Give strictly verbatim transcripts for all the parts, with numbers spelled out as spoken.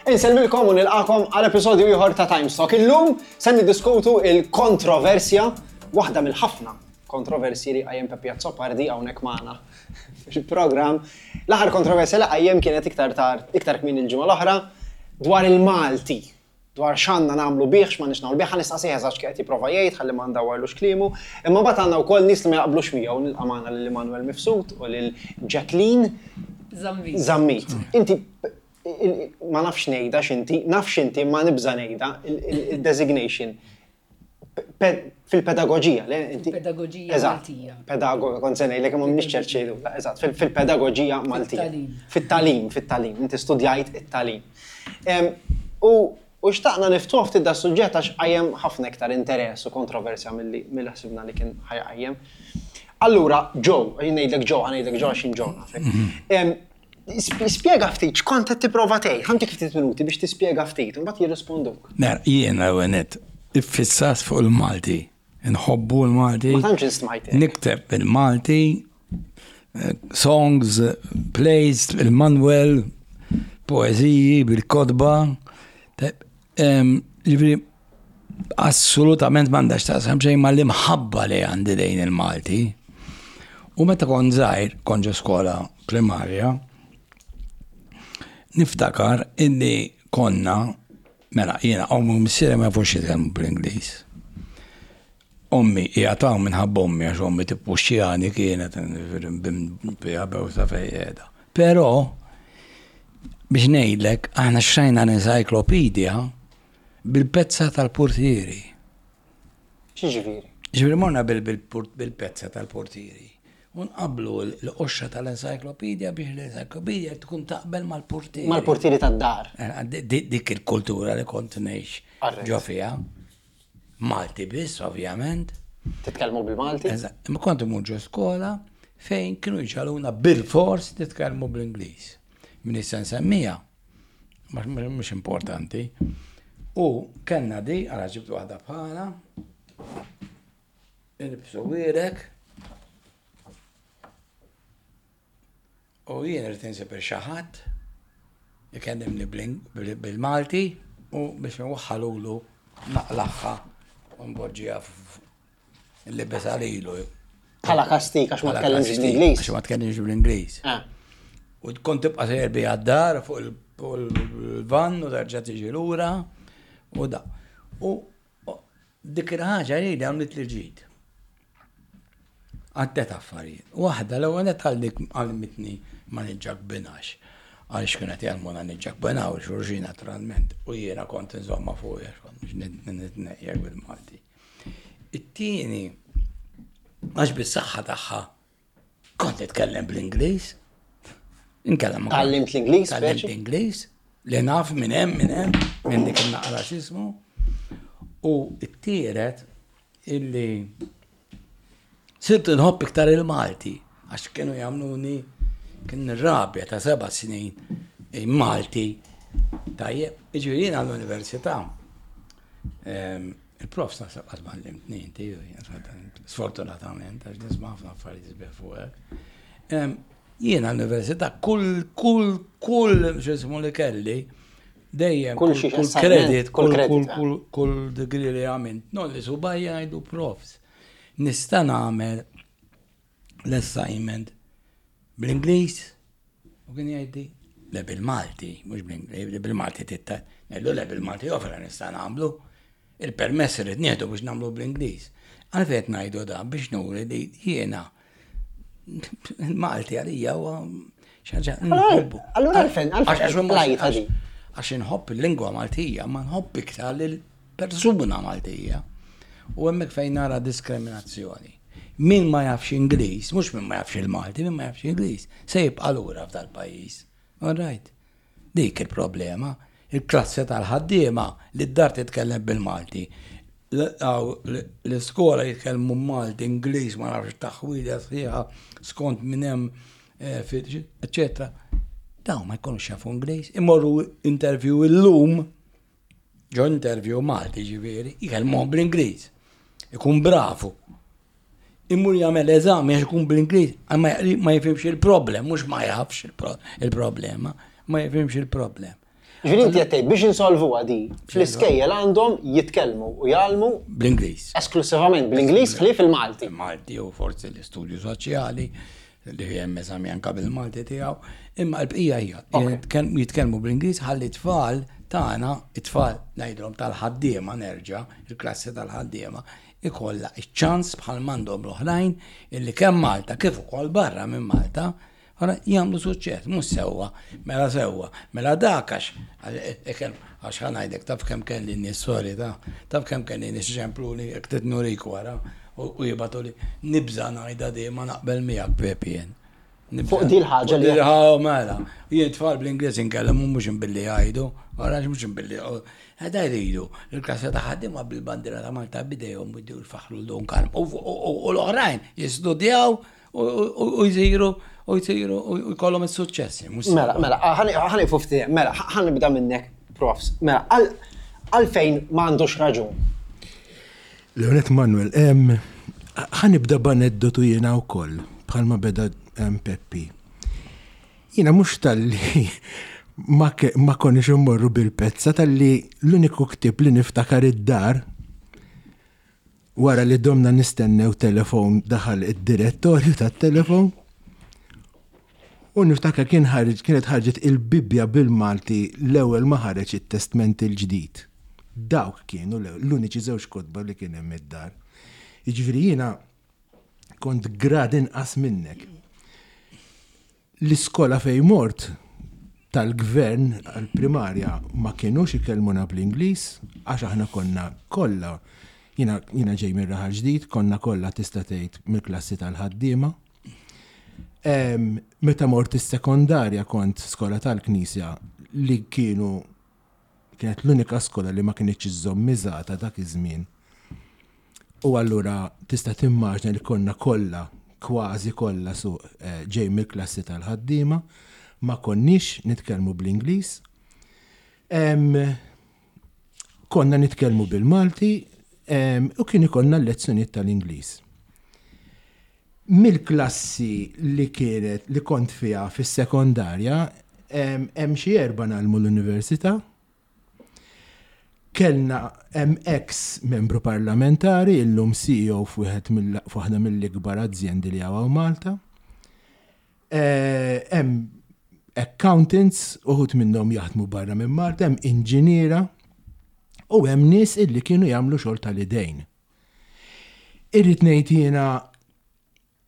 Insellmilkom u nilqakom għal episodju ieħor ta' Times Talk. Illum se niddiskutu il-kontroversja, waħda mill-ħafna kontroversji li qajjem Peppi Azzopardi hawnhekk magħna fil-programm. L-aħħar kontroversja li qajjem kienet iktar tard, iktar kmieni l-ġimgħa l-oħra dwar il-Malti. Dwar x'għandna nagħmlu bih, x'ma nagħmlu bih, ħa nistaqsih eżatt x'qed jipprova jgħid, ħalli ma ndawwarlux kliemu. Imma mbagħad għandna wkoll nies li ma jaqblux miegħu, nilqa' magħna lil Immanuel Mifsud u lil Jacqueline Zammit. Zammit. Inti il- ma nafx ngħidha x'inti, naf x'inti ma nibża ngħidha il-designation. Pe- Fil-pedagoġija, le? Inti? Fil-pedagoġija Eżatt. Maltija. Pedagoga, kont se ngħidlek imma m'iniex ċert xejdu. Eżatt, fil- fil-pedagoġija Maltija. Fit-tagħlim. Fit-tagħlim, fit-tagħlim. Inti studjajt it-tagħlim. Em, U u xtaqna niftuħ ftit da suġġett għax qajjem ħafna iktar interess u kontroversja milli milli ħsibna li kien ħa jqajjem. Allura, Joe, jien ngħidlek Joe, ħa ngħidlek Joe għax jien Joe nafek. Em, sp- Spjega ftit x'kont qed tipprova tgħid, ħa ntik ftit minuti biex tispjega ftit, u mbagħad jirrisponduk. Mela, jiena għenet, iffissat fuq il-Malti. Nħobbu l-Malti. Ma tantx smajt. Nikteb bil-Malti, eh, songs, plays, il-Manuel, poeziji, bil-kotba. Te- em, Ġifieri, assolutament m'għandax taqsam xejn ma l-imħabba li għandi lejn il-Malti. U meta kont żgħir, kont ġo skola primarja, niftakar illi konna, mela, jiena, ommi u missieri ma jafux jitkellmu bl-Ingliż. Ommi, jgħataw minħabba ommi, għax ommi tippuxxjani kienet bija bewsa fejjeda. Però, biex ngħidlek, aħna xtrajna l-encyclopedia bil-pezza tal-portieri. X'jiġifieri? Ġifieri morna bil-pezza tal-portieri. Unqablu l-qoxra tal-encyclopedia biex l-encyclopedia tkun taqbel mal-portieri. Mal-portieri tad-dar. Eh, di- Dik il-kultura li kont ngħix Alright. ġo fiha. Malti biss, ovvjament. Titkellmu bil-Malti? Eżatt. Imma kont imur ġo skola fejn kienu jġagħluna bil-fors nitkellmu bl-Ingliż. Min issa nsemmija, mhux importanti. U kellna di, għala ġibt waħda bħala, ilbsu wirek, u jien irrid insib xi ħadd ikellimni bil-Malti u biex nwaħħalulu naqlaħħa u npoġġiha l-libes għalilu. Bħala kastik għax ma tkellimx bl-Ingliż. Għax ma tkellimx bl-Ingliż. Ah. U kont tibqa' sejjer bija d-dar fuq il-van u terġa' tiġi lura u da. U dik il-ħaġa li għamlet li ġid. Għaddet affarijiet. Waħda l-ewwel qed għallik għalmitni ma niġġakbinax. Għaliex kienet jgħallmuna niġġakbinaw xulxin naturalment. U jiena kont nżomma fuq għax kont nitnejjek bil-Malti. It-tieni, għax bis-saħħa tagħha kont nitkellem bl-Ingliż. Inkellem ma Tgħallimt l-Ingliż, Tgħallimt speċi? l-Ingliż, li naf minn hemm minn hemm minn dik il-naqra x'ismu. U t-tielet illi sirt nħobb iktar il-Malti, għax kienu jagħmluni kien rabja ta' seba' snin Malti. Tajjeb, jiġifieri jiena għall-università. Ehm, Il-profs naħseb qatt ma għallimtni inti, sfortunatament, għax nisma' ħafna affarijiet sbieħ fuqek. Ehm, Jiena l-università kull kull kull x'ismu li kelli dejjem Kull xi kull assignment, credit, kull kull credit, kull eh. kull kull degree li għamilt, no li subajja ngħidu profs. Nista' nagħmel l-assignment bl-Ingliż u kien jgħidli le bil-Malti, mhux bl-Ingliż, bil-Malti titta. Ngħidlu le bil-Malti ofra nista' nagħmlu. Il-permess irid nieħdu biex nagħmlu bl-Ingliż. Għalfejn ngħidu da biex nuri li jiena il-Malti għalija huwa xi ħaġa nħobbu. Allura għalfejn, għalfejn Għax- għax- lajta di? Għax inħobb il-lingwa Maltija, ma nħobb iktar lill-persuna Maltija. U hemmhekk fejn nara diskriminazzjoni. Min ma jafx Ingliż, mhux min ma jafx il-Malti, min ma jafx Ingliż, se jibqa' lura f'dal-pajjiż. All right. Dik il-problema. Il-klassi tal-ħaddiema li d-dar titkellem bil-Malti. L-iskola jitkellmu Malti, Ingliż, ma nafx taħwida sħiħa skont minn hemm, eh, eccetera. Dawn ma jkunux jafu Ingliż. Imorru interview illum, ġo interview Malti ġifieri, jkellmuhom bl-Ingliż. Ikun bravu. Imur jagħmel eżami għax ikun bl-Ingliż, ma ma jifhimx il-problem, mhux ma jafx il-problema, ma jifhimx il-problem. Ġifieri inti qed tgħid biex insolvuha di fl-iskejjel għandhom jitkellmu u jgħallmu Bl-Ingliż. esklusivament bl-Ingliż ħlief il-Malti. Malti u forsi l-istudju soċjali li hemm eżami anka bil-Malti tiegħu, imma l-bqija hija jitkellmu jitkellmu bl-Ingliż ħalli tfal tagħna, it-tfal ngħidulhom tal-ħaddiema nerġa', il-klassi tal-ħaddiema, ikollha iċ-ċans bħal m'għandhom l-oħrajn illi kemm Malta kif ukoll barra minn Malta Ora jagħmlu suċċess, mhux sewwa, mela sewwa, mela dak għax għax ħa ngħidlek taf kemm kelli nies sorry ta' taf kemm kelli nies ċempluli jekk trid nurik wara u u jibgħatu li nibża' ngħidha di ma naqbel miegħek Pepi jien. Nibża'. Fuq di l-ħaġa li- Fuq di l-ħaġa, mela. Jien tfal bl-Ingliż inkellem u mhux billi jgħidu, ora mhux billi Għada jridu, il-klassa ta' ħaddiema bil-bandira ta' Malta bidejhom u jfaħħru l-Dun Karm. U u- u l-oħrajn jistudjaw u- u u jsiru u jsiru u jkollhom is-suċċessi. mhux Mela, sewwa. mela, ħa nieqfu ftit, mela, ħa nibda minnek, profs. Mela, għal- għalfejn m'għandux raġun. Leonet Manuel, em, ħa nibda b'aneddotu jiena wkoll, bħalma beda em, Peppi. Jiena mhux talli ma, ke- ma konniex immorru bil-pezza talli l-uniku ktib li niftakar id-dar wara li domna nistennew telefon daħal id-direttorju tat-telefon u niftakar kien ħareġ kienet ħarġet il-Bibbja bil-Malti l-ewwel ma ħareġ it-Testment il-ġdid. Dawk kienu l- l-uniċi żewġ kotba li kien hemm id-dar. Jiġifieri jiena kont grad inqas minnek. L-iskola fej mort tal-gvern għal-primarja ma kienux ikellmuna bl-Ingliż għax aħna konna kollha jiena jiena ġej minn Raħal Ġdid, konna kollha tista' tgħid mill-klassi tal-ħaddiema. Em, Meta mort is-sekondarja kont skola tal-Knisja li kienu kienet l-unika skola li ma kienx iżżomm miżata dak iż-żmien. U allura tista' timmaġna li konna kollha, kważi kollha su eh, ġej mill-klassi tal-ħaddiema, ma konniex nitkellmu bl-Ingliż. Em, Konna nitkellmu bil-Malti em, u kien ikollna lezzjonijiet tal-Ingliż. Mill-klassi li kienet li kont fiha fis-sekondarja, em, hemm xi erba' ngħallmu l-università. Kellna hemm ex membru parlamentari, illum C E O f'wieħed mill- f'waħda mill-ikbar azjendi li hawn Malta. Eh, Hemm accountants, uħud minnhom jaħdmu barra minn Malta, hemm inġiniera u hemm nies illi kienu jagħmlu xogħol tal-idejn. Irrid ngħid jiena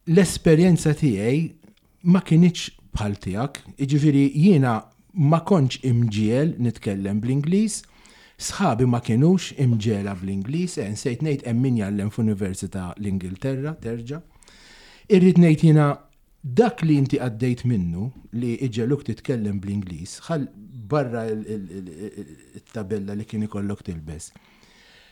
l-esperjenza tiegħi ma kinitx bħal tiegħek, jiġifieri jiena ma kontx imġiegħel nitkellem bl-Ingliż, sħabi ma kienux imġiegħla bl-Ingliż, eh, nsejt ngħid hemm min jgħallem f'Università l-Ingilterra, terġa'. Irrid ngħid jiena dak li inti għaddejt minnu li iġegħluk titkellem bl-Ingliż, ħal barra il-tabella li kien ikollok tilbes.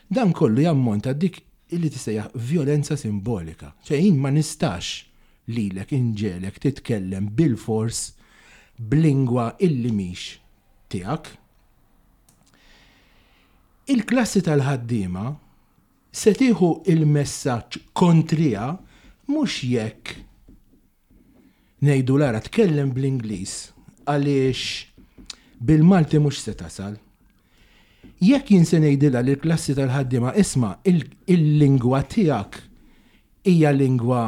Dan kollu jammonta dik illi tissejjaħ violenza simbolika. ċe jien ma nistax lilek inġegħlek titkellem bil-fors b'lingwa illi mhix tiegħek. Il-klassi tal-ħaddiema se tieħu il-messaġġ kontrija mhux jekk ngħidu lara tkellem bl-Ingliż għaliex bil-Malti mhux se tasal. Jekk jien se ngħidilha li l-klassi tal-ħaddiema, isma' il-lingwa tiegħek hija lingwa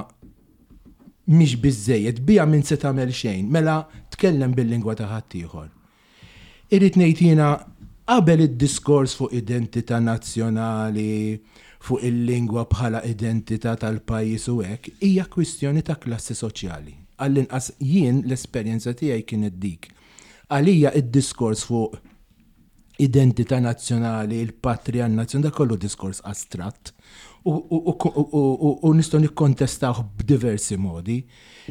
mhix biżejjed, biha min se tagħmel xejn, mela tkellem bil-lingwa ta' ħaddieħor. Irrid ngħid jiena qabel id-diskors fuq identità nazzjonali, fuq il-lingwa bħala identità tal-pajjiż u hekk, hija kwistjoni ta' klassi soċjali. Għall-inqas jien l-esperjenza tiegħi kienet dik. Għalija id-diskors fuq identità nazzjonali, il-patrija nazzjonali, dak kollu diskors astratt u, u, u, u, u, u nistgħu nikkontestawh b'diversi modi,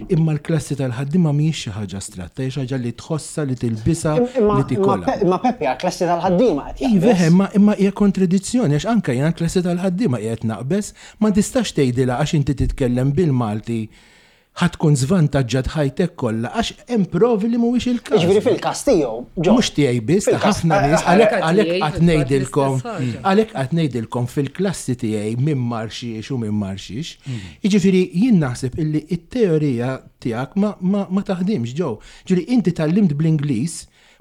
imma l-klassi tal-ħaddiema mhijiex xi ħaġa astratta, hija xi ħaġa li tħossha, li tilbisha, Imma li tikolha. imma Peppi għal klassi tal-ħaddiema qed Iva, jaqbeż. imma imma hija kontradizzjoni għax anke jiena l-klassi tal-ħaddiema qiegħed naqbeż, ma tistax tgħidilha għax inti titkellem bil-Malti ħa tkun żvantaġġat ħajtek kollha għax hemm provi li mhuwiex il-każ. Jiġifieri fil-każ tiegħu, ġo. Mhux tiegħi biss, ta' Fil-każ- ħafna nies, eh, għalhekk eh, għalhekk tiegħi qatt fil-fatt ngħidilkom, l-istess ħaġa. għalhekk qatt ngħidilkom fil-klassi tiegħi min mar xiex u min mar xiex. Jiġifieri jien naħseb illi it-teorija tiegħek ma, ma, ma taħdimx ġew. Ġifieri inti tgħallimt bl-Ingliż,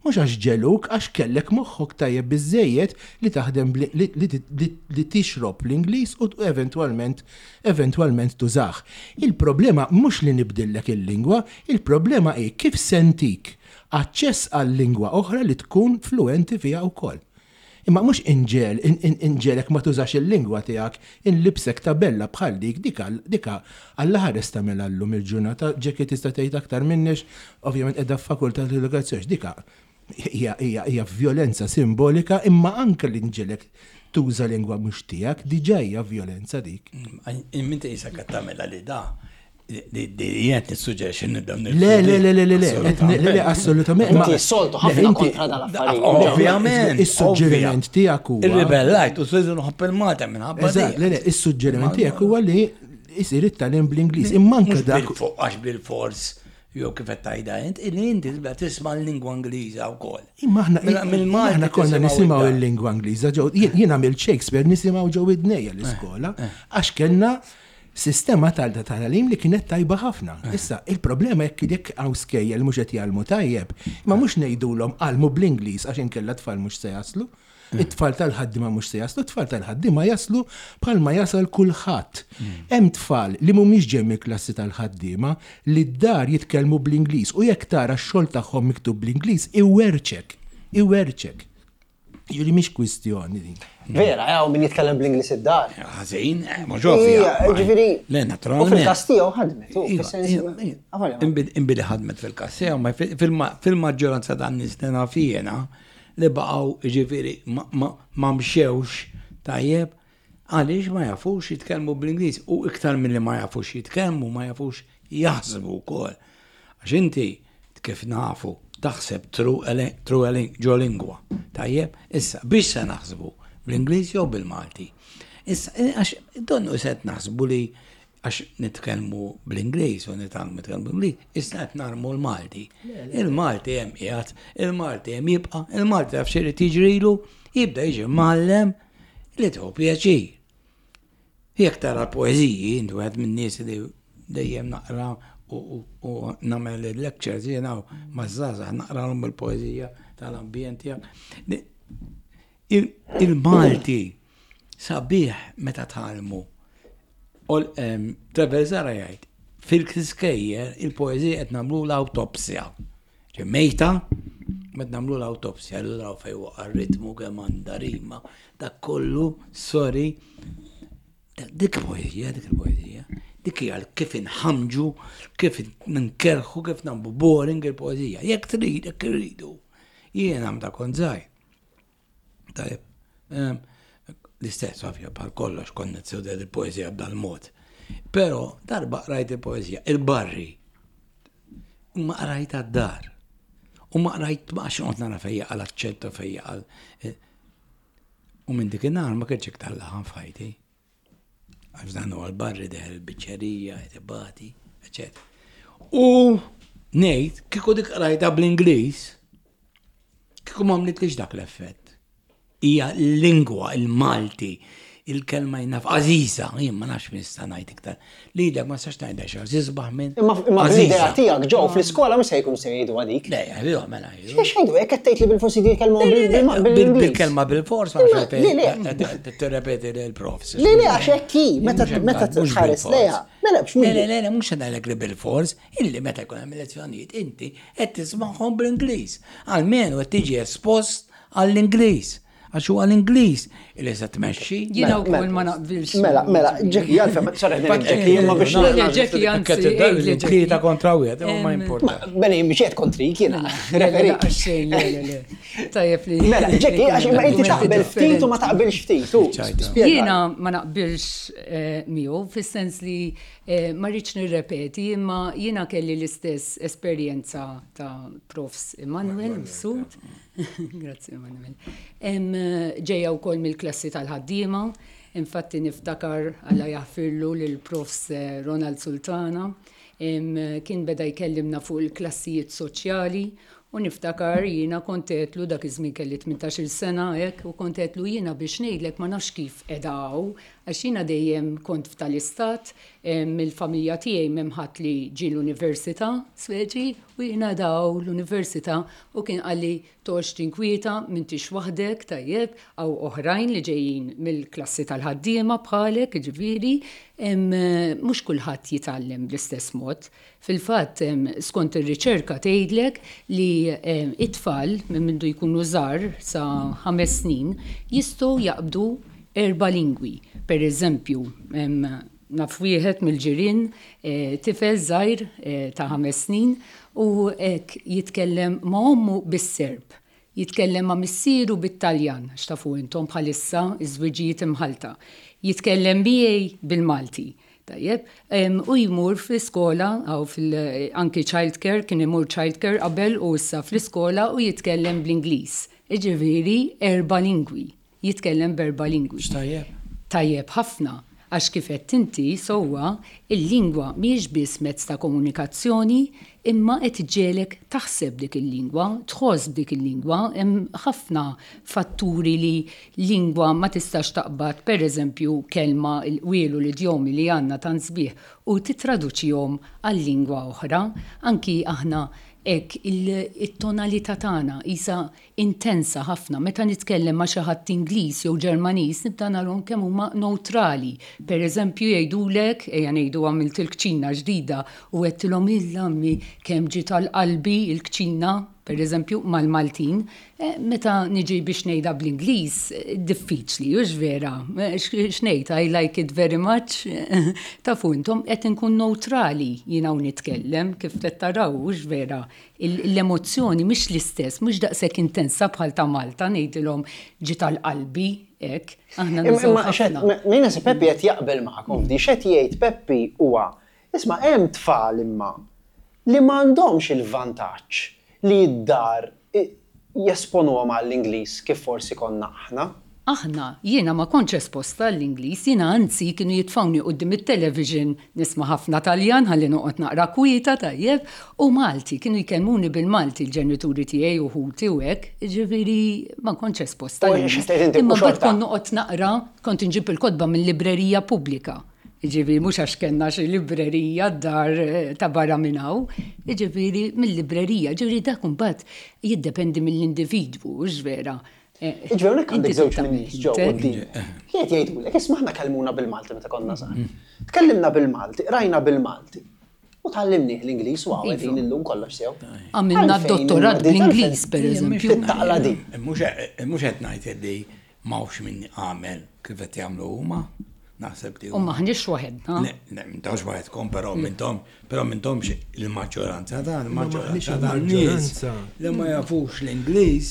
Mhux għax ġegħluk, għax kellek moħħok tajjeb biżejjed li taħdem li tixrob l-Ingliż u eventwalment eventwalment tużah. Il-problema mhux li nibdillek il-lingwa, il-problema hi kif se ntik aċċess għal lingwa oħra li tkun fluenti fiha wkoll. Imma mhux inġel, inġegħlek ma tużax il-lingwa tiegħek, inlibsek tabella bħal dik, dika dika Alla ħares tagħmel llum il-ġurnata, Ġeki tista' tgħid aktar minnex, ovvjament qiegħda f'fakultà tal-edukazzjoni, dika hija hija violenza simbolika, imma anke li nġegħlek tuża lingwa mhux tiegħek, diġà hija violenza dik. Minti jisa qed tagħmilha li da jien nissuġġerixxi nibdew Le, le, le, le, le, le, le, assolutament. Inti soltu ħafna kontra dal-affarijiet. Ovvjament. Is-suġġeriment tiegħek huwa. Irribellajt u s-sizu nħobb il-Malta minħabba. Eżatt, le, le, is-suġġeriment tiegħek huwa li jsir it-tagħlim bl-Ingliż. Imma anke dak. Għax bil-fors jew kif qed tgħidha int, illi inti tibda tisma' l-lingwa Ingliża wkoll. Imma aħna aħna konna nisimgħu l-lingwa Ingliża ġew jien għamilt Shakespeare nisimgħu ġew idnejja l-iskola għax kellna sistema tal-tagħlim li kienet tajba ħafna. Issa, il-problema jekk jekk hawn skejjel mhux qed jgħallmu tajjeb, ma mhux ngħidulhom għallmu bl-Ingliż għax inkella tfal mhux se jaslu. It-tfal tal-ħaddima mhux se jaslu, it-tfal tal-ħaddima jaslu bħalma jasal kulħadd. Hemm tfal li mhumiex ġej mill-klassi tal-ħaddiema li d-dar jitkellmu bl-Ingliż u jekk tara x-xogħol tagħhom miktub bl-Ingliż iwerċek, iwerċek. Jiġifieri mhix kwistjoni din. Vera, hawn min jitkellem bl-Ingliż id-dar. Ħażin, mhux ovvja. Ġifieri. Le, naturalment. U fil-każ tiegħu ħadmet, fis-sens. Imbili ħadmet fil-każ tiegħu, ma fil-maġġoranza tan-nies li naf jiena li baqgħu ġifieri ma mxewx tajjeb għaliex ma jafux jitkellmu bl-Ingliż u iktar milli ma jafux jitkellmu ma jafux jaħsbu wkoll. Għax inti kif nafu taħseb through ġo lingwa. Tajjeb, issa biex se naħsbu bl-Ingliż jew bil-Malti. Issa għax donnu se naħsbu li għax nitkellmu bl-Ingliż u nitgħallmu nitkellmu bl-Ingliż, issa qed narmu l-Malti. Il-Malti hemm qiegħed, il-Malti hemm jibqa', il-Malti taf x'irid jiġrilu, jibda jiġi mgħallem li tieħu pjaċir. Jekk tara poeżiji, intu wieħed min-nies li dejjem naqra u nagħmel il-lectures jiena maż-żgħażagħ naqralhom il-poeżija tal-ambjent tiegħek. Il-Malti sabiħ meta tgħallmu. Trevor Zara jgħid, fil-kiskejjer il-poeżija qed nagħmlu l-awtopsja. Mejta, qed nagħmlu l-awtopsja, allura fejn waqa' ritmu kemm għandha rima, dak kollu, sorry, dik poeżija, dik il-poeżija. Dik hija kif inħamġu, kif nkerħu, kif nagħmlu boring il-poeżija. Jekk trid, jekk irridu. Jiena meta kont żgħir. Tajjeb, l-istess ovvja bħal kollox konna nistudja il-poeżija b'dal-mod. Però darba qrajt il-poeżija, il-barri. Ma qrajt għad-dar. U ma qrajt ma għax noqgħod nara fejja għal aċċetto fejja għal. U minn dik in-nhar ma kienx iktar laħam f'ħajti. Għax dan huwa l-barri deħel il-biċċerija, etibati, eċetera. U ngħid kieku dik qrajta bl-Ingliż, kieku ma għamlitlix dak l-effett. Hija l-lingwa, il-Malti, il-kelma jien naf għażiża, jien ma nafx min nista' ngħid iktar. Lilek ma nistax ngħidha xi għażiż minn. Imma l-idea tiegħek ġew fl-iskola mhux se jkun se jgħidu għadik. Le, jgħidu mela jgħidu. X'għex jgħidu hekk qed tgħid li bil-forsi jitkellmu bil-Ingliż. Bil-kelma bil-fors ma nafx tirrepeti lill-profs. Le, le, għax hekk hi, meta meta tħares lejha. Mela biex Le, le, le, mhux ngħidlek li bil-fors, illi meta jkun hemm lezzjonijiet inti qed tismagħhom bl-Ingliż. Almenu qed tiġi espost għall-Ingliż. Għax huwa l-Ingliż li se tmexxi. Jiena wkoll ma naqbilx. Mela, mela, Jackie, għalfejn, sorry, Jackie, imma biex. Jackie, anzi, tlieta kontra wieħed, ma importa. Beni, biex qed kontrik jiena. Referi. Xejn, le, le, le. Tajjeb li. Mela, Jackie, għax imma inti taqbel ftit u ma taqbilx ftit. Jiena ma naqbilx miegħu fis-sens li ma rridx nirrepeti, imma jiena kelli l-istess esperjenza ta' Profs Emanuel Mifsud. Grazzi Emanuel. Ġejja wkoll mill-klassi tal-ħaddiema, infatti niftakar Alla jaħfirlu lil Profs Ronald Sultana, kien beda jkellimna fuq il-klassijiet soċjali u niftakar jiena kont għedtlu dak iż-żmien kelli tmintax-il sena hekk u kont għedtlu jiena biex ngħidlek ma nafx kif qiegħda hawn Għax jiena dejjem kont f'tal-istat, mill-familja tiegħi m'hemm ħadd li ġie l-università, speċi, u jiena daw l-università u kien qalli toqgħodx tinkwieta, m'intix waħdek, tajjeb, hawn oħrajn li ġejjin mill-klassi tal-ħaddiema bħalek, ġifieri, mhux kulħadd jitgħallem bl-istess mod. Fil-fatt, skont ir-riċerka tgħidlek li it-tfal minn mindu jkunu żgħar sa ħames snin jistgħu jaqbdu erba' lingwi. Per eżempju, naf wieħed mill-ġirien, tifel żgħir ta' ħames snin u hekk jitkellem ma' ommu bis-Serb, jitkellem ma' missieru bit-Taljan, għax tafu intom bħalissa iż-żwiġijiet imħalta, jitkellem miegħi bil-Malti. Tajjeb, u jmur fl-iskola, għaw fil anki childcare, kien imur childcare qabel u issa fl-iskola u jitkellem bl-Ingliż. Jiġifieri erba' lingwi, jitkellem b'erba' lingwi. X'tajjeb? Tajjeb ħafna, għax kif qed inti sewwa, il-lingwa mhijiex biss mezz ta' komunikazzjoni, imma qed iġġegħlek taħseb dik il-lingwa, tħoss dik il-lingwa, hemm ħafna fatturi li lingwa ma tistax taqbad, per eżempju, kelma il-qwielu l-idjomi li għandna tant sbieħ u titraduċihom għal lingwa oħra. Anki aħna hekk il-tonalità tagħna isa intensa ħafna. Meta nitkellem ma' xi ħadd Ingliż jew Ġermaniż nibda narhom kemm huma neutrali. Per eżempju jgħidulek, ejja ngħidu għamilt il-kċina ġdida u għedtilhom il-lammi kemm ġiet għal qalbi il-kċina, per eżempju, mal-Maltin, meta niġi biex ngħidha bl-Ingliż, diffiċli, hux vera. X'ngħid, I like it very much. Tafu intom qed inkun neutrali jiena u nitkellem kif qed taraw, hux vera. L-emozzjoni mhix l-istess, mhux daqshekk intensa bħal ta' Malta, ngħidilhom ġiet għal qalbi, hekk. Aħna nużaw ħafna. Min se Peppi qed jaqbel magħkom f'di, x'qed jgħid Peppi huwa, isma' hemm tfal imma li m'għandhomx il-vantaġġ li d-dar jesponuhom għall-Ingliż kif forsi konna aħna. Aħna, jiena ma kontx esposta għall-Ingliż, jiena anzi kienu jitfawni quddiem it-television nisma' ħafna Taljan ħalli noqgħod naqra kwieta tajjeb, u Malti, kienu jkellmuni bil-Malti l-ġenituri tiegħi u ħuti u hekk, ġifieri ma kontx esposta U għall-Ingliż. x'qed tgħid inti, Imma u xorta? mbagħad kont noqgħod naqra, kont inġib il-kotba mill-librerija pubblika. Ġifieri mhux għax kellna xi librerija d-dar ta' barra minn hawn, ġifieri mill-librerija, ġifieri dak imbagħad jiddependi mill-individwu, hux vera. Ġifieri hawnhekk għandek Inti żewġ tagħmel min-nies ġew intek. quddiem. Qiegħed jgħidulek, isma' aħna kellmuna bil-Malti meta konna żgħar. Tkellimna bil-Malti, rajna bil-Malti. U tgħallimnieh l-Ingliż u hawn qegħdin illum kollox sew. Għamilna Għalfejn dottorat imma di bl-Ingliż, għalfejn per eżempju. Taqla di. Mhux qed ngħid li m'hawnx min għamel kif qed jagħmlu huma. Naħseb li U maħniex waħedna. Le, le, m'intomx waħedkom, però m'intom, però m'intomx il-maġġoranza ta' maħniex il-maġġoranza ta' nies il-maġġoranza. li ma jafux l-Ingliż,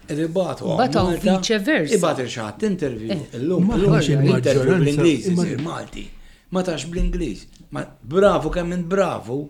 ibatu Mbagħad hawn Malta, vice versa. Ibatu xi ħadd interview. Illum, Maħniex illum interview il-maġġoranza, bl-Ingliż imma- isir Malti. Ma tax bl-Ingliż. Ma bravo kemm int bravo,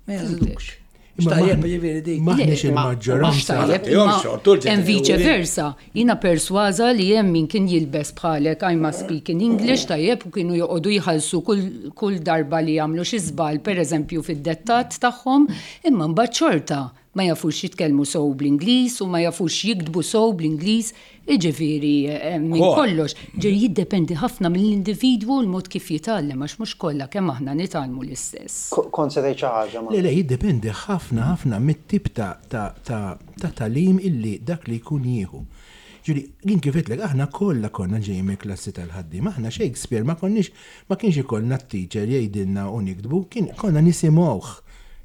ma jażlux. Imma X'tajjeb maħ- ġifieri dik. Maħniex Le, il-maġġoranza. Tajjeb, Jom imma xortu l-ġenituri. hemm vice versa. Jiena persważa li hemm min kien jilbes bħalek I must speak in English, tajjeb, u kienu joqogħdu jħallsu kull, kull darba li jagħmlu xi żball, pereżempju fid-dettat tagħhom, imma mbagħad xorta ma jafux jitkellmu sew bl-Ingliż u ma jafux jiktbu sew bl-Ingliż, jiġifieri eh, minn Kol. kollox. Ġifieri jiddependi ħafna mill-individwu u l-mod kif jitgħallem, għax mhux kollha kemm aħna nitgħallmu l-istess. Kont se tgħid xi ħaġa ma. Le, le, jiddependi ħafna ħafna mit-tip ta' ta' ta' ta' tagħlim illi dak li jkun jieħu. Ġuri, jien kif għedtlek, aħna kollha konna ġejjin mill-klassi tal-ħaddiem, aħna Shakespeare ma konniex, ma kienx ikollna t-teacher jgħidilna u niktbu, kien konna nisimgħuh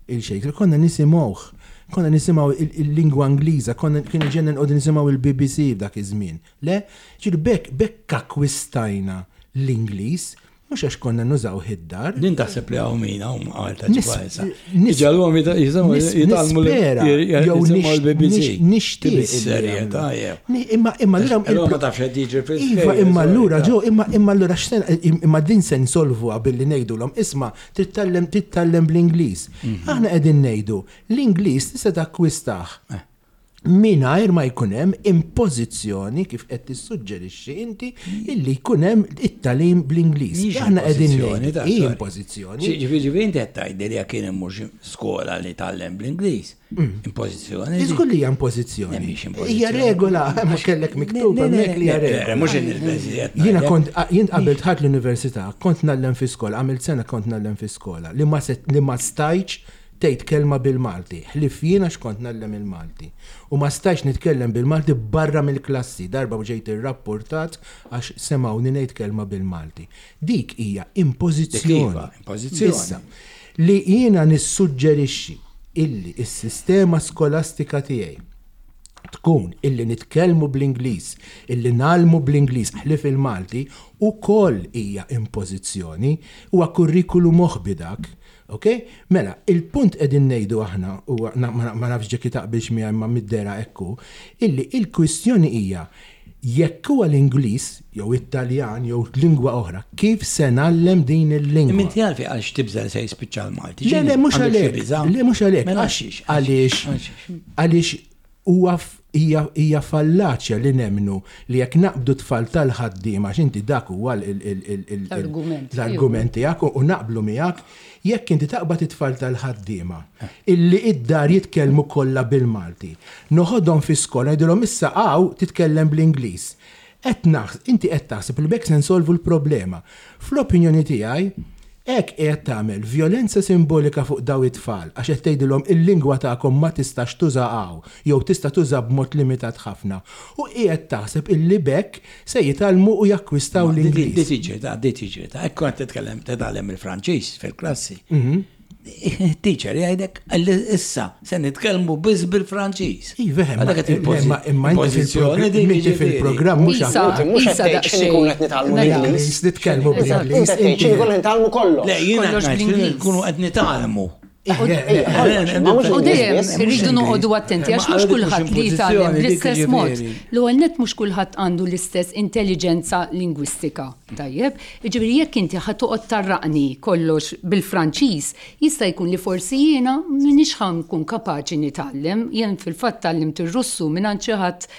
il-Shakespeare, konna nisimgħuh, konna nisimgħu il- il-lingwa Ingliża, konna kien ġenna nqogħdu nisimgħu il-B B C f'dak iż-żmien. Le, ġuri bekk bekk akkwistajna l-Ingliż, mhux għax konna nużaw id-dar. Din taħseb li hawn min hawn għal ta' Nis- ġibha nis- Iġalhom nis- jitgħallmu nispera, jew jisimgħu l-B B C. nix- nixtieq illi Bis-serjetà, jagħmlu. jew. Ni- Imma imma allura Allura ma tafx qed jiġri fil- Iva, imma allura ġo, imma imma allura x'sen imma din se nsolvuha billi ngħidulhom isma' titgħallem titgħallem bl-Ingliż. Mhm. Aħna qegħdin ngħidu l-Ingliż tista' takkwistah Eh. Mingħajr ma jkun hemm impożizzjoni kif qed tissuġġerixxi inti illi jkun hemm it-tagħlim bl-Ingliż. Aħna qegħdin ngħidu hi impożizzjoni. Ġifieri inti qed tgħidli li jekk immur xi skola li tgħallem bl-Ingliż. Impożizzjoni. Iżgur li hija impożizzjoni. Hija regola, ma kellek miktub hemmhekk li hija regola. Mhux il-beżiet. Jiena kont jien qabel dħalt l-università, kont ngħallem fi skola, għamilt sena kont ngħallem fi skola li ma li ma stajtx tgħid kelma bil-Malti, ħlief jiena x'kont ngħallem il-Malti. U ma stajtx nitkellem bil-Malti barra mill-klassi, darba ġejt irrapportat għax semgħuni ngħid kelma bil-Malti. Dik hija impożizzjoni. Impożizzjoni. Issa, li jiena nissuġġerixxi illi s-sistema skolastika tiegħi tkun illi nitkellmu bl-Ingliż, illi ngħallmu bl-Ingliż ħlief il-Malti, ukoll hija impożizzjoni, huwa kurrikulu moħbi dak. Ok? Mela, il-punt qegħdin ngħidu aħna, u ma nafx ġekki taqbilx miegħi imma mid-dera ekku, illi il-kwistjoni hija jekk huwa l-Ingliż jew it-Taljan jew lingwa oħra, kif se ngħallem din il-lingwa? Inti għalfi għalx tibża' se jispiċċa l-Malti. Le, le, mhux għalhekk. Le, mhux għalhekk. Mela għalxiex? Għaliex għaliex huwa hija fallaċja li nemnu li jekk naqbdu tfal tal-ħaddiema għax inti dak huwa l-argument l-argument tiegħek u naqblu miegħek, jekk inti taqbad it-tfal tal-ħaddiema illi id-dar jitkellmu kollha bil-Malti, noħodhom fi skola ngħidilhom issa hawn titkellem bl-Ingliż. Qed naħs, inti qed taħseb li b'hekk se nsolvu l-problema. Fl-opinjoni tiegħi, hekk qiegħed tagħmel vjolenza simbolika fuq daw it-tfal għax qed tgħidilhom il-lingwa tagħkom ma tistax tuża hawn jew tista' tuża b'mod limitat ħafna. U qiegħed taħseb illi b'hekk se jitgħallmu u jakkwistaw l-Ingliż. Di tiġri ta' di tiġri ta' hekk kont titkellem titgħallem il-Franċiż fil-klassi. Teacher jgħidek issa se nitkellmu biss bil-Franċiż. Iva, imma imma inti fil-programm mhux mhux qed tgħid x'inhi nkunu qed nitgħallmu l-Ingliż. Nitkellmu bl-Ingliż. Inti x'inhi nkunu nitgħallmu kollox. Le, jiena ngħid nkunu qed nitgħallmu. U dejjem irridu noqogħdu attenti għax mhux kulħadd li jitgħallem bl-istess mod. L-ewwel nett mhux kulħadd għandu l-istess intelligenza lingwistika. Tajjeb, jiġifieri jekk inti ħa toqgħod tarraqni kollox bil-Franċiż, jista' jkun li forsi jiena m'iniex ħa nkun kapaċi nitgħallem. Jien fil-fatt tgħallimt ir-Russu mingħand xi ħadd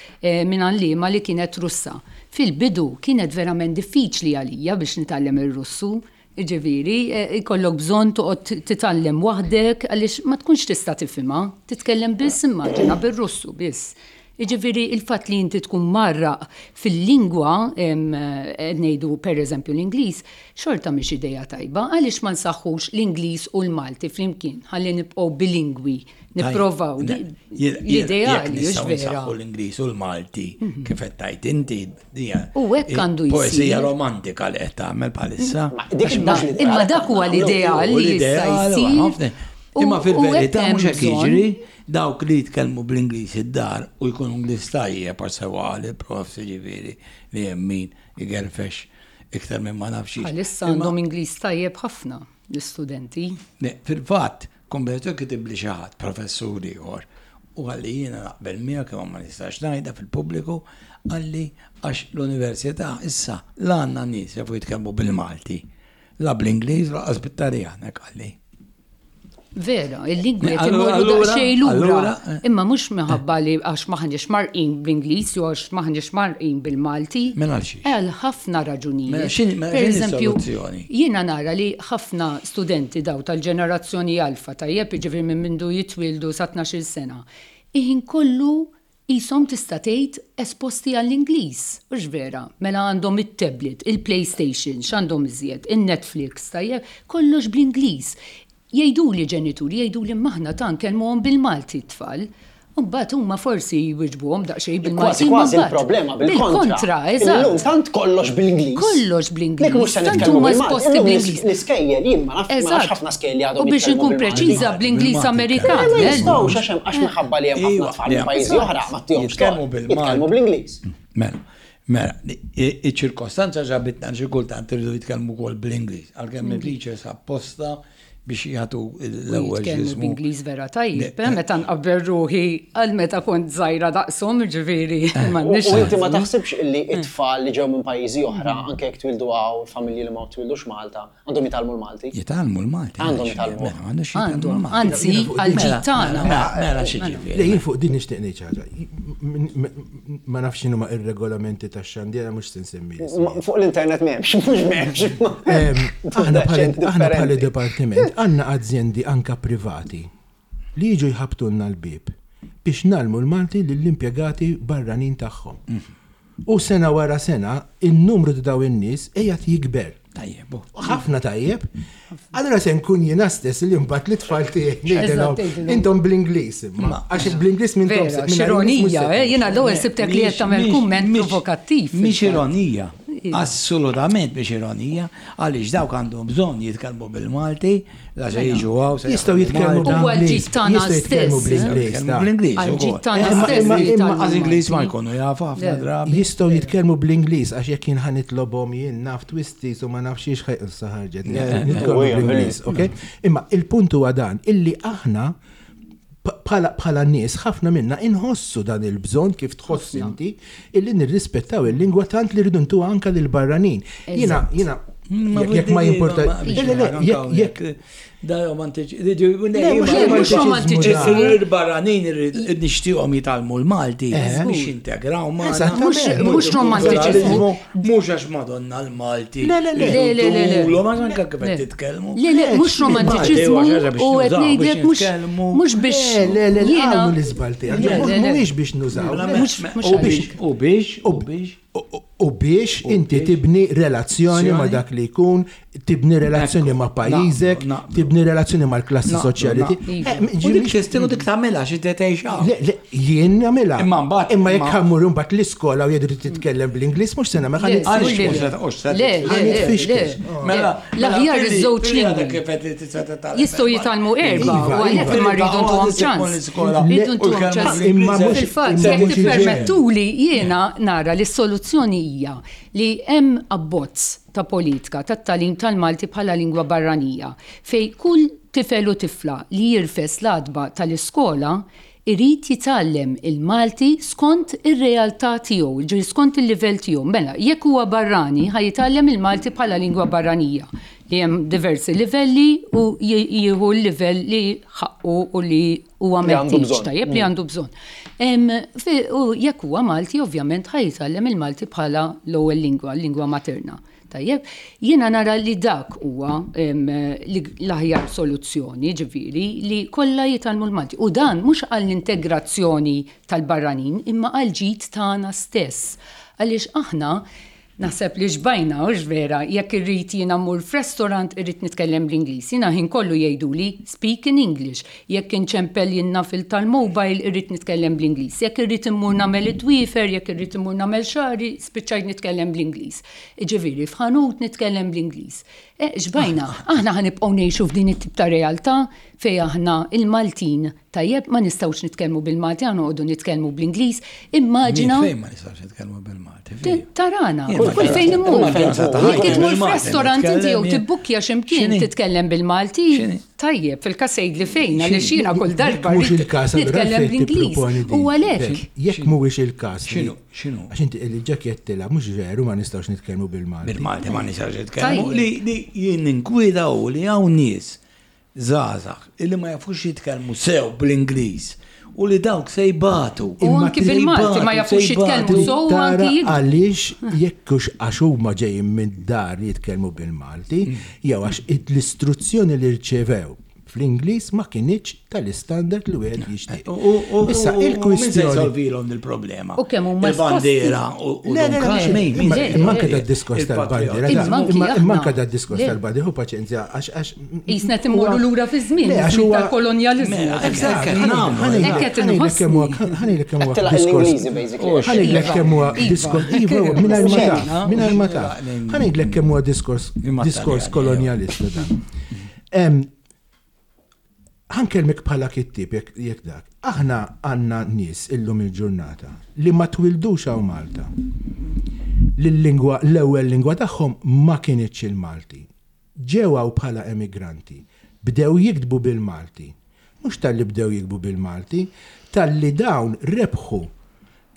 minn għalliema li kienet Russa. Fil-bidu kienet verament diffiċli għalija biex nitgħallem ir-Russu. Ġifieri, ikollok bżonn toqgħod titgħallem waħdek għaliex ma tkunx tista' tifhimha, titkellem biss immaġina bir-Russu biss. Jiġifieri il-fatt li inti tkun marraq fil-lingwa, qed ngħidu pereżempju l-Ingliż, xorta mhix idea tajba, għaliex ma nsaħħux l-Ingliż u l-Malti flimkien, ħalli nibqgħu bilingwi, nipprovaw l-ideali, hux vera. Nsaħħu l-Ingliż u l-Malti kif qed tgħid inti U hekk għandu jsir. Poeżija romantika li qed tagħmel bħalissa. Imma dak huwa l-ideal li jista' jsir. Imma fil-verità mhux hekk jiġri, dawk li jitkellmu bl-Ingliż id-dar u jkunu Ingliż tajjeb għax sewa qal il-prof jiġifieri li hemm min igerfex iktar minn ma nafx. Bħalissa għandhom Ingliż tajjeb ħafna l-istudenti. Fil-fatt, konvertu kitib li xi ħadd professur ieħor u qalli jiena naqbel miegħek imma ma nistax ngħidha fil-pubbliku, qalli għax l-università issa la għandna nies jafu jitkellmu bil-Malti, la bl-Ingliż lanqas bit-Taljan, hekk qalli. Vera, il-lingwi qed imorru daqsxejn lura. Imma mhux minħabba li għax m'aħniex marqin bl-Ingliż jew għax m'aħniex marqin bil-Malti. Mela għal xiex? Għal ħafna raġunijiet. Mela Per eżempju, jiena nara li ħafna studenti daw tal-ġenerazzjoni alfa tajjeb, jiġifieri minn mindu jitwieldu sa tnax-il sena, iħin kollu qishom tista' tgħid esposti għall-Ingliż, hux vera? Mela għandhom it-tablet, il-PlayStation, x'għandhom iżjed, in-Netflix, tajjeb, kollox bl-Ingliż. Jgħiduli ġenituri, jgħiduli maħna ta' nkellmuhom bil-Malti t-tfal. U mbagħad huma forsi jwiġbuhom daqsxejn bil-Malti. Kważi kważi il-problema bil-kontra. Bil-kontra, eżatt. Illum tant kollox bl-Ingliż. Kollox bl-Ingliż. Nek mhux se Tant nitkellmu huma bil-Malti. esposti Illum bl-Ingliż. L-iskejjel jien ma nafx ma nafx ħafna skejjel li għadhom U biex jitkellmu inkun bil-Malti. preċiża bl-Ingliż Amerikan. Ma eh? jistgħux għax hemm għax minħabba li hemm ħafna tfal minn pajjiżi oħra ma ttihomx Jitkellmu bil-Malti. Jitkellmu bl-Ingliż. Mela, Mela, iċ-ċirkostanza ġabitna xi kultant irridu jitkellmu wkoll bl-Ingliż, għalkemm il-teachers apposta biex jagħtu l-ewwel Jitkellmu x'ismu. b'Ingliż vera tajjeb, eh, meta nqabbel ruħi għal meta kont żgħira daqshom, ġifieri U m'għandniex. u inti ma taħsibx illi it-tfal li ġew minn pajjiżi oħra, anke jekk twildu hawn, familji li ma twildux Malta, għandhom jitgħallmu l-Malti? Jitgħallmu l-Malti. Għandhom jitgħallmu. Mela, m'għandux jitgħallmu Għandhom, l-Malti. anzi, għal-ġid tagħna. Mela, mela xi ġifieri. Le, jien fuq din nixtieq ngħid xi ħaġa. M- m- Ma nafx x'inhu ma ir-regolamenti tax-xandiera mhux se nsemmi Ma- Fuq l-internet m'hemmx, mhux m'hemmx. Em, Aħna bħala aħna bħala Differenti. departiment għandna azjendi anka privati li jiġu jħabtulna l-bib biex ngħallmu l-Malti lill-impjegati barranin tagħhom. U sena wara sena, il-numru ta' daw in-nies qiegħed jikber. Tajjeb, bu. Ħafna tajjeb. Allora se nkun jiena stess li mbagħad l-tfal tiegħi ngħidilhom tgħidilhom. intom bl-Ingliż imma. Għax bl-Ingliż minn Vera, x'ironija, eh, jiena l-ewwel sibtek li qed tagħmel kumment provokattiv. Mhix ironija. Assolutament mhix ironija, għaliex dawk għandhom bżonn jitkellmu bil-Malti, la se jiġu hawn. se Jistgħu jaħdmu jitkellmu Malta. Huwa bl-Ingliż. l-ġid tagħna Jistgħu jitkellmu stess, eh? bl-Ingliż. Jitkellmu da. bl-Ingliż. Għal-ġid ukoll. tagħna Imma- stess imma- li imma jitgħallmu Għaż Ingliż ma Malti. jkunu jafu ħafna Le. drabi. Jistgħu jitkellmu bl-Ingliż għax jekk jien ħa nitlobhom jien naf twisties u ma nafx xiex ħaj ħarġet. Nitkellmu bl-Ingliż, ok? Imma il-punt huwa dan illi aħna bħala bħala nies ħafna minna inħossu dan il-bżonn kif tħoss inti illi nirrispettaw il-lingwa tant li rridu ntuha anka lil barranin. Jiena jiena jekk jekk ma jimporta. Le, le, le, jekk jekk Da romantiċi. Le, mhux mhux romantiċiżmu. Il-barranin nixtieqhom jitgħallmu l-Malti Eh. biex jintegraw magħna. Eżattament. Mhux romantiċiżmu. Mhux għax Madonna l-Malti. Le, le, le. Le, le, le, le. Le, ma anke kif qed Le. titkellmu. Le, le, mhux romantiċiżmu Malti huwa xi ħaġa biex u qed nużaw, ngħidlek biex mhux nitkellmu. mhux biex Le, le, le, jiena għamlu l-iżbal tiegħek. Le, le, le. Mhuwiex biex nużaw. Mela, le. Mhux- mhux U biex għalhekk. U biex, u biex. U- U biex inti biex. tibni relazzjoni ma Azzjoni. dak li jkun, tibni relazzjoni ma pajjiżek, Naqblu, naqblu. tibni relazzjoni mal-klassi Naqblu, soċjali. naqblu. Eh, U dik tista' u dik tagħmilha xi tgħix hawn. Le, le, jien nagħmilha. Imma mbagħad- Imma jekk ma- ħammur imbagħad l-iskola u jgħidu titkellem bl-Ingliż mhux se nagħmel Le, ħa Għaliex le, mhux se- mhux se- Le, le, le, le. Mela, L-aħjar iż-żewġ lingwi. Jistgħu jitgħallmu erba' Iva, u għalhekk iva. imma rridu ntuhom ċans. Rridu ntuhom ċans. Imma mhux- Fil-fatt, imma jekk mhux tippermettuli jiena nara li s-soluzzjoni hija li hemm abbozz ta' politika tat-tagħlim tal-Malti bħala lingwa barranija fej kull tifel u tifla li jirfes l-għatba tal-iskola irid jitgħallem il-Malti skont ir-realtà tiegħu, ġifieri skont il-livell tiegħu. Mela, jekk huwa barrani, ħa jitgħallem il-Malti bħala lingwa barranija li hemm diversi livelli u j- jieħu l-livell li ħaqqu u li huwa Li għandu meħtieġ bżonn. tajjeb li għandu bżonn. Em, fi- U jekk huwa Malti, ovvjament ħa jitgħallem il-Malti bħala l-ewwel lingwa, l-lingwa materna. Tajjeb, jiena nara li dak huwa em, li- l-aħjar soluzzjoni, ġifieri, li kollha jitgħallmu l-Malti. U dan mhux għall-integrazzjoni tal-barranin, imma għall-ġid tagħna stess. Għaliex aħna naħseb li xbajna, u vera, jekk irrid jiena mmur f'restaurant irrid nitkellem bl-Ingliż. Jiena ħin kollu jgħiduli speak in English. Jekk inċempel jiena fil tal-mobile irrid nitkellem bl-Ingliż. Jekk irrid immur nagħmel it-dwiefer, jekk irrid immur nagħmel xagħri, spiċċajt nitkellem bl-Ingliż. Ġifieri f'ħanut nitkellem bl-Ingliż. E, xbajna, aħna ħa nibqgħu ngħixu f'din it-tip ta' realtà fej aħna il-Maltin tajjeb ma nistgħux nitkellmu bil-Malti, aħna noqogħdu nitkellmu bl-Ingliż. Immaġina Fejn ma nistgħux nitkellmu bil-Malti. fejn? Tarana, Jien kull ma kull fejn immur. Ma kien sa ta' Jekk ħajti tmur bil-Malti, f'restaurant inti jew nitkellem, tibbukkja x'imkien X'inhi? titkellem bil-Malti, X'inhi? tajjeb, fil-każ li fejn, għaliex jiena kull darba Mhux rrid il-każ, allura nitkellem għalfejn tipproponi bl-Ingliż. din. U għalhekk. Jekk mhuwiex il-każ. li- X'inhu? X'inhu? Għax inti il-ġakett tilha mhux veru ma nistgħux nitkellmu bil-Malti. Bil-Malti ma nistgħux nitkellmu. Tajjeb. Li li jien ninkwida u li hawn nies żgħażagħ illi ma jafux jitkellmu sew bl-Ingliż u li dawk se jbatu. U anki Se bil-Malti ma jbatu, jafux se jbatu. jitkellmu sew u Tara anki jikdbu. għaliex jekk hux għax huma ġejjin minn dar jitkellmu bil-Malti, jew għax l-istruzzjoni li rċevew fl-Ingliż ma kinitx tal-istandard li wieħed jixtieq. U- u- u- Issa u- u Min se il-kwistjoni. jsolvilhom il-problema? U kemm huma Il-bandiera u u Le, le, Don le, Carmen, le, min imma- se imma anke jsolvi? da diskors tal-bandiera, Il-patriot. da- Imma anki imma imma anke aħna. da diskors Le. tal-bandiera, hu paċenzja, għax għax. Jisna timmorru lura fi żmien, Le, għax żmien huwa- tal-kolonjaliżmu. Mela, hekk qed nagħmlu. Hekk qed inħossni. Ħa ngħidlek kemm huwa Qed tilaq diskors. l-Ingliżi, basically. Ħa ngħidlek kemm huwa Iva. diskors. Iva, mingħajr ma taf, mingħajr ma taf. Ħa ngħidlek kemm huwa diskors Imma diskors Taljani, kolonjalista dan. Em, Ħa nkellmek bħala kittib jekk jekk dak. Aħna għandna nies illum il-ġurnata li ma twildux hawn Malta. L-lingwa, l-ewwel lingwa tagħhom ma kinitx il-Malti. Ġew hawn bħala emigranti, bdew jiktbu bil-Malti. Mhux talli bdew jiktbu bil-Malti, talli dawn rebħu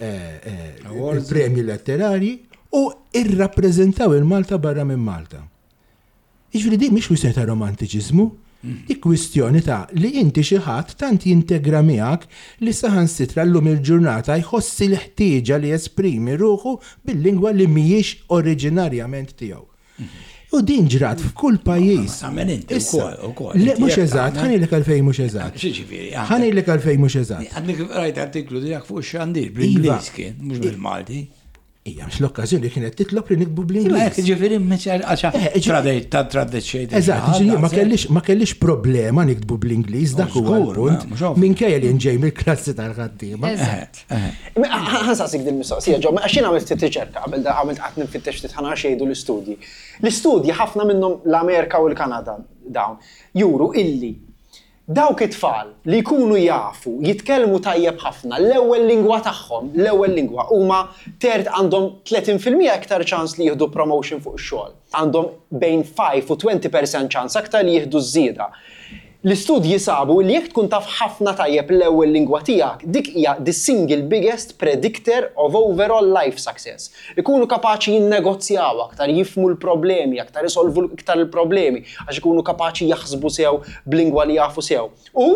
eh, eh, il-premji letterari u irrappreżentaw il-Malta barra minn Malta. Jiġifieri din mhix kwistjoni ta' romantiċiżmu, di kwistjoni ta' li inti xi ħadd tant jintegra miegħek li saħansitra llum il-ġurnata jħossi l-ħtieġa li jesprimi ruħu bil-lingwa li mhijiex oriġinarjament tiegħu. U din ġrat f'kull pajjiż. Ma tagħmel inti Issa, wkoll, ukoll. Le, Inti mhux jekk eżatt, tagħmel- ħa ngħidlek għalfejn mhux eżatt. X'jiġifieri, għandek- Ħa ngħidlek għalfejn mhux eżatt. Għandek rajt artiklu tiegħek fuq ix-xandir bl-Ingliż Iva. kien, mhux bil-Malti. Ija, mhux l-okkażjoni kienet titlob li niktbu Imma bl-Ingliż. hekk ġifieri Eh, ġi- ta' tradeċejt. Eżatt, ġifieri ma kellix ma kellix problema niktbu bl-Ingliż, dak huwa Żgur, l-punt. ma, mhux ovvju. Minkejja li nġej mill-klassi tal-ħaddiema. Eżatt. Ħa nsaqsik din mistoqsija ġo, għax jien għamilt ftit riċerka qabel da għamilt qatt nfittex ftit ħa nara x'jgħidu l-istudji. L-istudji ħafna minnhom l-Amerika u l-Kanada dawn juru illi dawk it-tfal li jkunu jafu jitkellmu tajjeb ħafna l-ewwel lingwa tagħhom, l-ewwel lingwa huma tert għandhom tletin fil-mija iktar ċans li jieħdu promotion fuq ix-xogħol. Għandhom bejn ħamsa u għoxrin fil-mija ċans aktar li jieħdu żieda. L-istudji sabu li jekk tkun taf ħafna tajjeb l-ewwel lingwa tiegħek, dik hija the single biggest predictor of overall life success. Ikunu kapaċi jinnegozjaw aktar, jifhmu l-problemi, aktar isolvu iktar il-problemi, għax ikunu kapaċi jaħsbu sew b'lingwa li jafu sew. U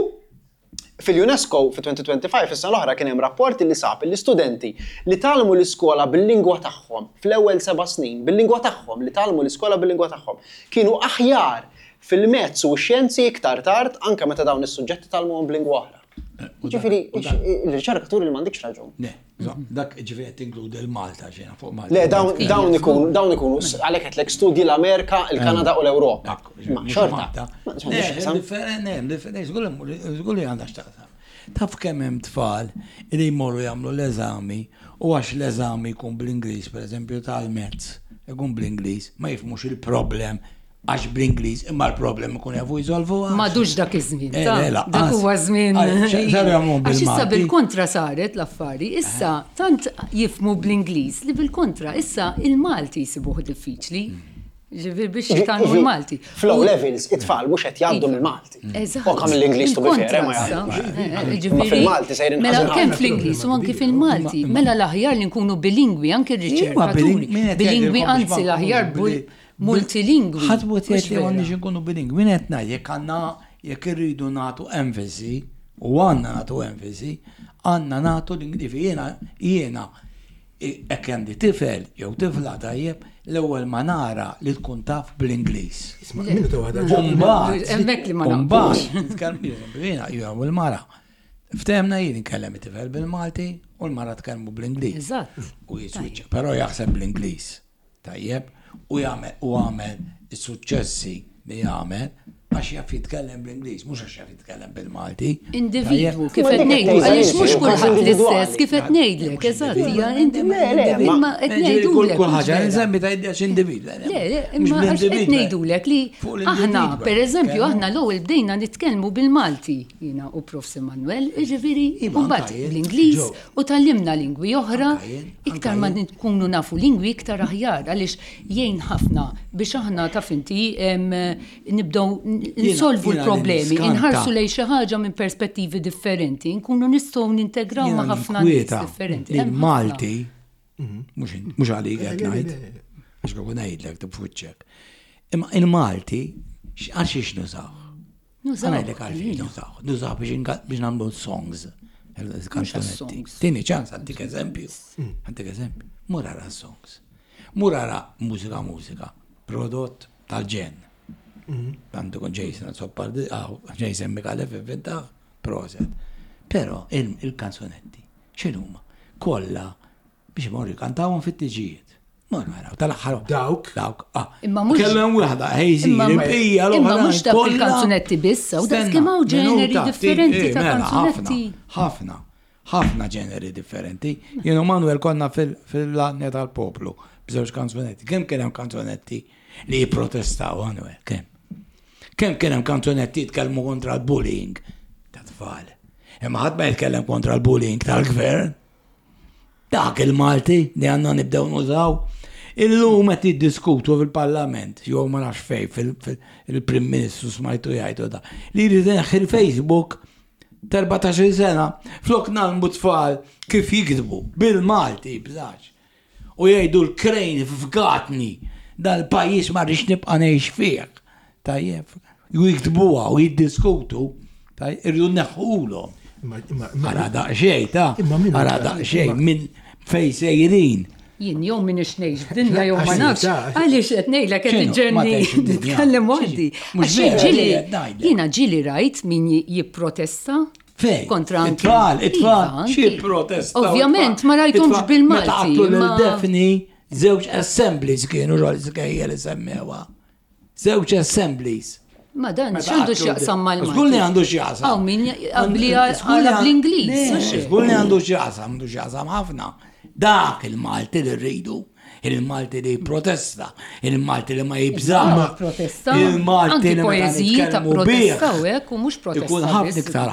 fil-UNESCO fi elfejn u ħamsa u għoxrin is-sena l-oħra kien hemm rapport li sab li studenti li tgħallmu l-iskola bil-lingwa tagħhom fl-ewwel seba' snin, bil-lingwa tagħhom, li tgħallmu l-iskola bil-lingwa tagħhom, kienu aħjar fil-mezz u x-xjenzi iktar tard anke meta dawn is-suġġetti tgħallmuhom b'lingwa oħra. Ġifieri, il-riċerka turi li m'għandikx raġun. Le, dak ġifieri qed tinkludi l-Malta ġena fuq Malta. Le, dawn dawn ikunu dawn ikunu għalhekk qedlek studji l-Amerika, il-Kanada u l-Ewropa. Ma xorta. Ma Le, differenti, differenti, żgur li għandha x'taqsam. Taf kemm hemm tfal li jmorru jagħmlu l-eżami u għax l-eżami jkun bl-Ingliż, pereżempju tal-mezz, ikun bl-Ingliż, ma jifhmux il-problem għax bl-Ingliż, imma l-problem ikun jafu jsolvu. M'għadux dak iż-żmien. Eh, ta' le, lanqas. Dak huwa żmien. Għal, saru jagħmlu Għax issa bil-Malti. bil-kontra saret l-affari, issa tant jifhmu bl-Ingliż li bil-kontra issa il-Malti jsibuh diffiċli. Ġifieri biex jitgħallmu l-Malti. Fl-O levels, it-tfal mhux qed jgħaddu mill-Malti. Eżatt. U kam l-Ingliż tu Il-kontra bifere ma issa. jgħaddux. Eh, eh, Ma ġifieri, fil-Malti sejrin Mela ħażin kemm ħafna. fl-Ingliż u anki fil-Malti. Mela l-aħjar li nkunu bilingwi, anki r-riċerkaturi. Bilingwi anzi l-aħjar bul- multilingwi. Ħadd mhu Mhux jgħid li vera. m'għandniex nkunu bilingwi. Min qed ngħid jekk għandna jekk irridu nagħtu enfasi u għandna nagħtu enfasi, għandna nagħtu l-Ingliż. Jiena jiena hekk għandi tifel jew tifla tajjeb, l-ewwel ma nara li tkun taf bl-Ingliż. Isma' minuta waħda. Umbagħad, Hemmhekk li ma umbagħad, nitkellem jiena jiena u l-mara. Ftehemna jien nkellem it-tifel bil-Malti u l-mara tkellmu bl-Ingliż. Eżatt. U jiswiċċa, però jaħseb bl-Ingliż. Tajjeb, u jagħmel u għamel is-suċċessi li jagħmel għax jaf jitkellem bl-Ingliż, mhux għax jaf jitkellem bil-Malti. Individwu, Tajjeb? kif Ma qed dik ngħidu, qed għaliex tgħid, mhux każ kulħadd individwali. l-istess, kif qed ngħidlek, eżatt, hija Le, le, ma- imma qed Ġifieri kull ngħidulek. kull mhux ħaġa vera. nsemmi ta' għax individwu. Le, le, imma għax qed ngħidulek li aħna, per eżempju, aħna l-ewwel bdejna nitkellmu bil-Malti, jiena u Profs Emanuel, jiġifieri, Iva, u mbagħad anka jien. bl-Ingliż Ġo. u tgħallimna lingwi oħra, Anka jien, iktar anka ma jien. nkunu nafu lingwi iktar aħjar, għaliex jgħin ħafna biex aħna taf inti em, nibdew nsolvu jiena li l-problemi, niskanta. inħarsu lejn xi ħaġa minn perspettivi differenti, nkunu nistgħu nintegraw ma' ħafna nies differenti. Li Hemm ħafna. l-Malti, mhux mhux għalik qed ngħid, għax kieku ngħidlek tibfuċċek. Imma il-Malti għal xiex nużaw? Nużaw, Ħa ngħidlek għal xiex għalina. nużaw. Nużaw biex inka- biex nagħmlu songs. Kanzunetti. songs. Tini ċans, għandik eżempju. Għandik eżempju. Mur ara songs. Mur ara mużika mużika. Prodott tal-ġen. Għandu kun Jason Azzopardi, ah, Jason Micallef inventaħ, proset. Però il- il-kanzunetti, x'inhuma? Kollha biex imorru jkantawhom fit-tiġijiet. Morru għaraw, tal-aħħar. Dawk? Dawk, ah. Imma mhux- Kellem waħda, ħejżi, Imma il-bqija imma l-oħra. mhux dak kollha- il-kanzunetti biss, u dak Stenna, kemm hawn ġeneri minuta, differenti eh, ta' mela, kanzunetti. Ħafna, ħafna ġeneri differenti. Jien u Manuel konna fil-lanja tal-poplu b'żewġ kanzunetti. Kemm kien hemm kanzunetti li jipprotestaw, Manuel, kemm? Kemm kien hemm kanzunetti jitkellmu kontra l-bullying ta' tfal. Imma ħadd ma jitkellem kontra l-bullying tal-gvern. Dak il-Malti li għandna nibdew nużaw. Illum qed jiddiskutu fil-Parlament, jew ma nafx fejn fil-Prim Ministru smajtu jgħidu da, li jrid ineħħi il-Facebook t'erbatax-il sena, flok ngħallmu tfal kif jiktbu bil-Malti bżax. U jgħidu l-krejn fgatni, dal-pajjiż ma rridx nibqa' ngħix fih. Tajjeb, u jiktbuha u jiddiskutu, tajjeb, irridu neħħulhom. Ara daqsxejn, ta' ara daqsxejn minn fejn sejrin. Jien jew minn ngħix f'dinja jew ma nafx. Għaliex qed ngħidlek qed iġġenni nitkellem waħdi. Għax ġieli jiena ġieli rajt min jipprotesta Fejn? Kontra anki. It-tfal, it-tfal, xi protesta. Ovvjament ma rajthomx bil-Malti. Meta qatlu lil Daphne, żewġ assemblies kienu ġol iskejjel li semmewha. Żewġ assemblies. Ma dan x'għandu x'jaqsam mal-Malti? Żgur li għandu x'jaqsam. Hawn min qabli għala bl-Ingliż. Żgur li għandu x'jaqsam, għandu x'jaqsam ħafna. Dak il-Malti li rridu, il-Malti li protesta, il-Malti li ma jibżax. Protesta. Il-Malti li poeżiji ta' protesta u hekk u mhux protesta. Ikun ħafna iktar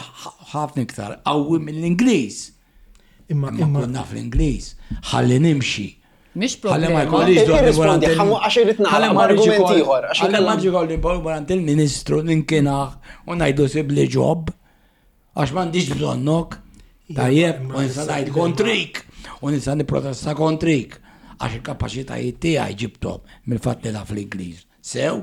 ħafna iktar qawwi mill-Ingliż. Imma imma naf l-Ingliż, ħalli nimxi. Mhix Ħalli ma problema. jkollix dwar Irrispondi, għax irid nagħlaq argument ieħor. Ħalli ma ġikolli morant il-Ministru ninkinaħ u ngħidu sibli job għax m'għandix bżonnok. Tajjeb, u nista' ngħid kontrik, u nista' nipprotesta kontrik, għax il-kapaċitajiet tiegħi ġibthom mill-fatt li naf l-Ingliż. Sew,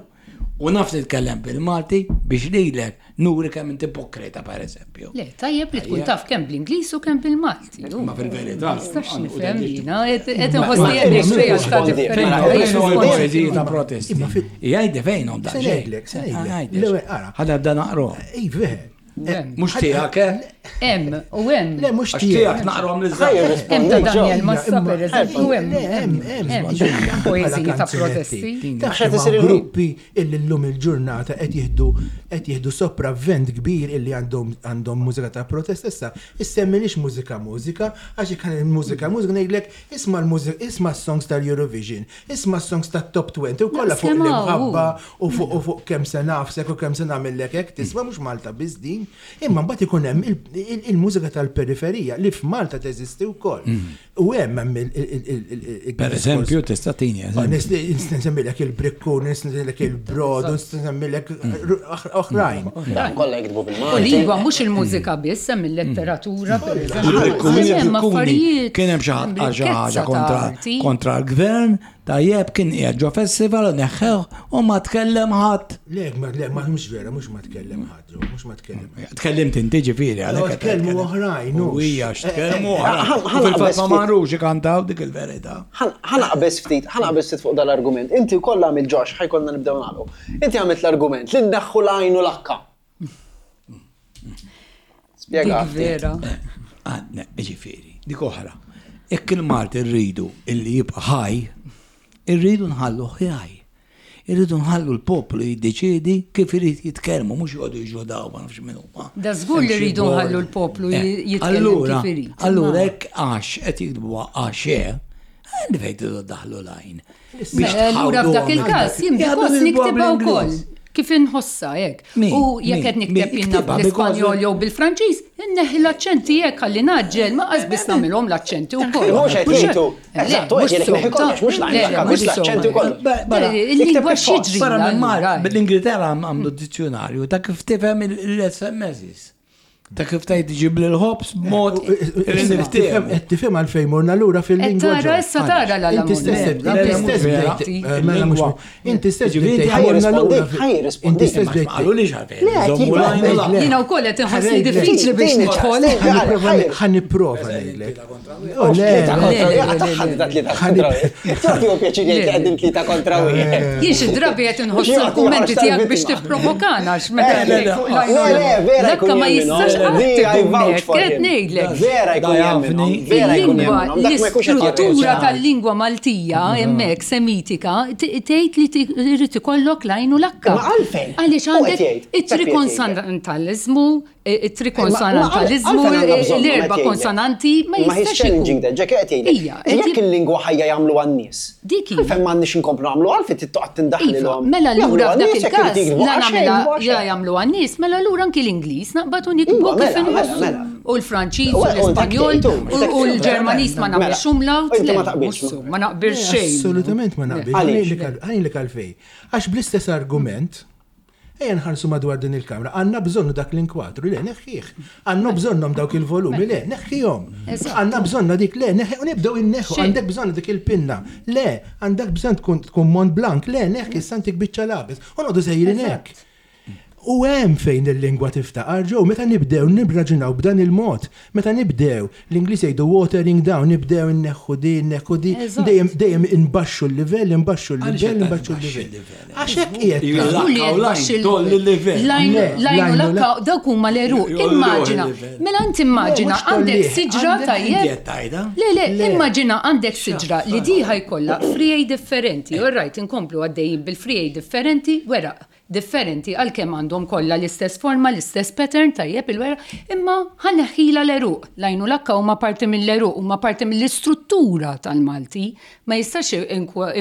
u naf nitkellem bil-Malti biex lilek nuri kemm inti ipokrita pereżempju. Le, tajjeb li tkun taf kemm bl-Ingliż u kemm bil-Malti. Ma fil-verità. Nistax nifhem jiena, qed inħossni qed ngħix realtà differenti. Ta' protesti. Jgħidli fejnhom da. Se ngħidlek, se ngħidlek. L-ewwel ara. Ħa nibda naqra. Iva. Mhux tiegħek, eh? Hemm, u hemm. Le, mhux Għax tiegħek naqrom li żgħar. Hemm ta' Daniel Massa pereżempju, hemm. Hemm, hemm. Poeżiji ta' protesti. Taf xi gruppi illi llum il-ġurnata qed jieħdu qed jieħdu sopravvent kbir illi għandhom għandhom mużika ta' protest issa issemmilix mużika mużika għax jekk il-mużika mużika ngħidlek isma' l-mużika isma' s-songs tal-Eurovision, isma' s-songs tat-Top twenty u kollha fuq l-imħabba u fuq u fuq kemm se nafsek u kemm se nagħmellek hekk tisma' mhux Malta biss din. Imma mbagħad ikun hemm il-mużika tal-periferija li f'Malta teżisti wkoll. U hemm hemm il- Per eżempju, tista' tini eżempju. Nsemmilek il-brikkun, nsemmilek il-brodu, nsemmilek oħrajn. Kollha jiktbu bil-Malti. U lingwa mhux il-mużika biss, hemm il-letteratura pereżempju. Kien hemm xi ħaġa kontra l-gvern, tajjeb kien qiegħed ġo festival u neħħew u ma tkellem ħadd. Le, le, ma mhux vera, mhux ma tkellem ħadd, mhux ma tkellem. Tkellimt inti ġifieri għalhekk. Tkellmu oħrajn, u hija x'tkellmu oħrajn. Fil-fatt ma marrux ikantaw dik il-verità. Ħa naqbeż ftit, ħa naqbeż ftit fuq dal-argument. Inti wkoll għamilt Josh, ħajkollna nibdew nagħlqu. Inti għamilt l-argument li nneħħu l-għajn u l-akka. Spjega. Vera. Ġifieri, dik oħra. Jekk il-Malti rridu illi jibqa' ħaj, irridu nħallu ħaj. Irridu nħallu l-poplu jiddeċiedi kif irid jitkellmu, mhux joqogħdu jiġġodaw ma nafx min huma. Da żgur li rridu nħallu l-poplu jitkellem kif irid. Allura hekk għax qed jiktbuha għax għandi fejn tridu ddaħlu l-għajn. Allura f'dak il-każ jien because niktibha wkoll. Kif inħossa hekk. U jekk qed nikteb jiena bl-Ispanjol jew bil-Franċiż, inneħħi l-aċċenti hekk ħalli naġġel ma qas biss nagħmilhom l-aċċenti wkoll. Mhux qed jgħidu. Eżatt, qed jgħidlek neħi kollox, mhux l-għajn, mhux l-aċċenti wkoll. Il-lingwa x'jiġri. Barra minn Malta, bil-Ingilterra għamlu dizzjonarju ta' kif tifhem il-S M Ss. Ta' kif tgħid ġib l-ħobs b'mod Qed tifhem għalfejn morna lura fil-lingwa. Tara issa tara la Inti stess inti stess mela mhux inti stess morna lura. Inti stess bdejt. Qalulix għalfejn. Jiena wkoll qed inħossni diffiċli biex nidħol. Ħa nipprova ngħidlek. Le, tagħti pjaċir jgħid li qegħdin tlieta kontra wieħed. Jien xi drabi qed inħoss il-kummenti tiegħek biex tipprovokana għax meta Le, le, vera jkun ma jistax Qed ngħidlek. Vera jkun jemminu. Vera jkun jemminu. L-istruttura tal-lingwa Maltija hemmhekk semitika tgħid li trid ikollok l-għajn u l-akka. Ma għalfejn? Għaliex għandek it-trikonsonantaliżmu, it-trikonsonantaliżmu, l-erba' konsonanti ma jistax ikun. Ġek qed jgħidlek. Jekk il-lingwa ħajja jagħmlu għan-nies. Dik hi. Għalfejn m'għandniex inkomplu nagħmlu għalfejn trid toqgħod tindaħlilhom. Mela allura f'dak il-każ la nagħmilha jagħmlu għan-nies, mela allura anki l-Ingliż naqbad u nikbu kif inħossu. U l-Franċiż, u l-Ispanjol, u l-Ġermaniż ma nagħmilx umlaut. Inti ma taqbilx. Ma naqbilx xejn. Assolutament ma naqbilx. Għalli għalfej. Għax bl-istess argument, ejja nħarsu madwar din il-kamra, għandna bżonnu dak l-inkwatru, le, neħħih. Għandna bżonnhom dawk il-volumi, le, neħħihom. Għandna bżonna dik, le, neħħi, u nibdew inneħħu, għandek bżonn dik il-pinna, le, għandek bżonn tkun Mont Blanc, le, neħħi, santik biċċa lapis. U noqogħdu sejrin hekk. U hemm fejn il-lingwa tiftaqar ġew, meta nibdew nibbraġunaw b'dan il-mod, meta nibdew l-Ingliż jgħidu watering down, nibdew inneħħu di, inneħħu di, dejjem dejjem inbaxxu l-livell, inbaxxu l-livell, inbaxxu l-livell. Għax hekk qiegħed. Lajn lakka dawk huma l-għeruq. Immaġina, mela int immaġina għandek siġra tajjeb. Le, le, immaġina għandek siġra li di ħajkollha friegħi differenti. All right, inkomplu għaddejjin bil-friegħi differenti, weraq differenti għalkemm għandhom kollha l-istess forma, l-istess pattern tajjeb il-wera, imma ħaneħħila l-għeruq. Lajnu lakka huma parti mill-għeruq, huma parti mill-istruttura tal-Malti. Ma jistax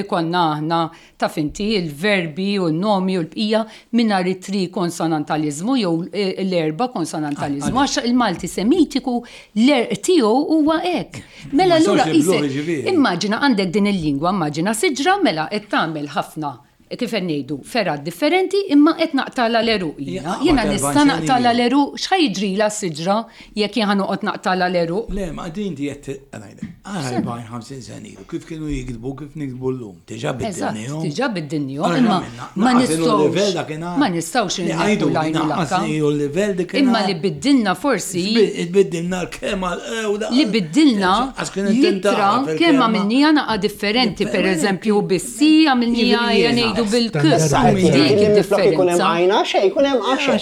ikollna aħna taf inti il-verbi u n-nomi u l-bqija mingħajr it-tri konsonantaliżmu jew l-erba konsonantaliżmu, għax il-Malti semitiku l-erq tiegħu huwa hekk. Mela allura immaġina għandek din il-lingwa, immaġina siġra mela qed tagħmel ħafna kif ngħidu fergħat differenti imma qed naqtala l-għeruq. Jiena nista' naqtala l-għeruq, x'ħa jiġrila s-siġra jekk jien ħanoqgħod naqtala l-għeruq? Le, ma din qed ngħidlek. Aħna ħamsin sena ilu kif kienu jiktbu kif niktbu llum. Diġà biddilnihom. Diġà biddilnihom, imma ma nistgħux ma nistgħux ngħidu lajnu lakka. Imma li biddilna forsi biddilna l-kelma li biddilna l-ittra kemm għamilniha naqa' differenti, pereżempju bis-si għamilniha ngħidu bil-kus, dik id-differenza. Għajna xejn, jkun hemm għaxe.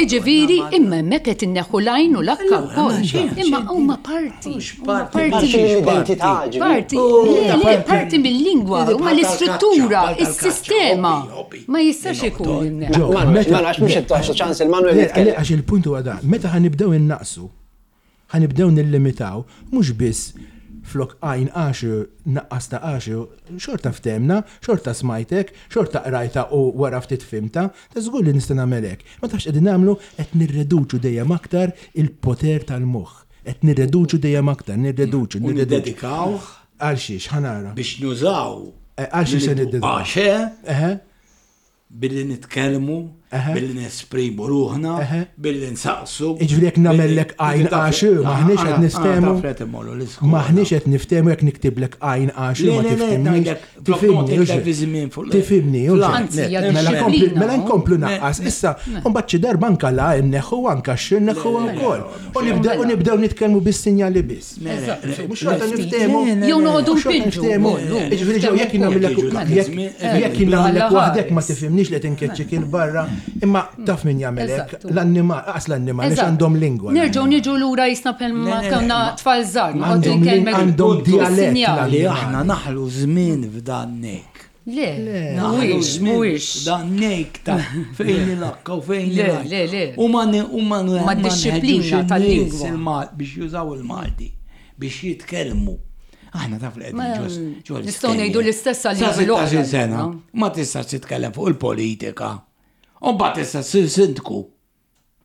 Iġifieri, imma hemmhekk qed inneħħu l-għajn u l-akka wkoll. Imma huma parti. Parti mill-identità. Parti, le, parti mill-lingwa, huma l-istruttura, is-sistema. Ma jistax ikun inneħħu. Ma nafx mhux qed toħsu ċans il-Manuel jitkellem. Għax il-punt huwa dan, meta ħanibdew innaqsu, ħanibdew nillimitaw, mhux biss flok għajn għaxu, naqqas ta' għaxu, xorta ftemna, xorta smajtek, xorta qrajta u wara ftit fimta, ta' żgur li nista' nagħmel hekk. Ma tafx qegħdin nagħmlu qed nirreduċu dejjem aktar il-poter tal-moħħ. Qed nirreduċu dejjem aktar, nirreduċu, nirreduċu. Niddedikawh għal xiex ħanara. Biex nużaw. Għal xiex se niddedikaw. Għaxe. Billi nitkellmu, billi nesprimu ruħna, billi nsaqsu. Iġifieri jekk nagħmellek għajn għaxu, maħniex qed niftehmu. Maħniex qed niftehmu jekk niktiblek għajn għaxu ma tifhimniex. Tifhimni, tifhimni. Mela nkomplu naqqas. Issa, mbagħad xi darba anke la nneħħu anke x nneħħu wkoll. U nibdew nitkellmu bis-sinjali biss. Mhux xorta niftehmu. Jew noqogħdu npinġu. Iġifieri ġew jekk nagħmellek jekk nagħmellek waħdek ma tifhimniex li tinkeċċik il-barra, imma taf min jagħmel hekk, l-annimal, aqas l-annimal għax għandhom lingwa. Nerġgħu niġu lura jisna bħalma konna tfal żgħar, għandhom dialett li aħna naħlu żmien f'dan nek. Le, mhuwiex, mhuwiex. Dan nek ta' fejn il-lakka u fejn il Le, le. U ma u ma ma disċiplina tal-lingwa biex jużaw il-Malti, biex jitkellmu. Aħna taf li qegħdin ġo. Nistgħu ngħidu l-istess għal l-oħra sena. Ma tistax titkellem fuq il-politika. U mbagħad tista' ssir sindku.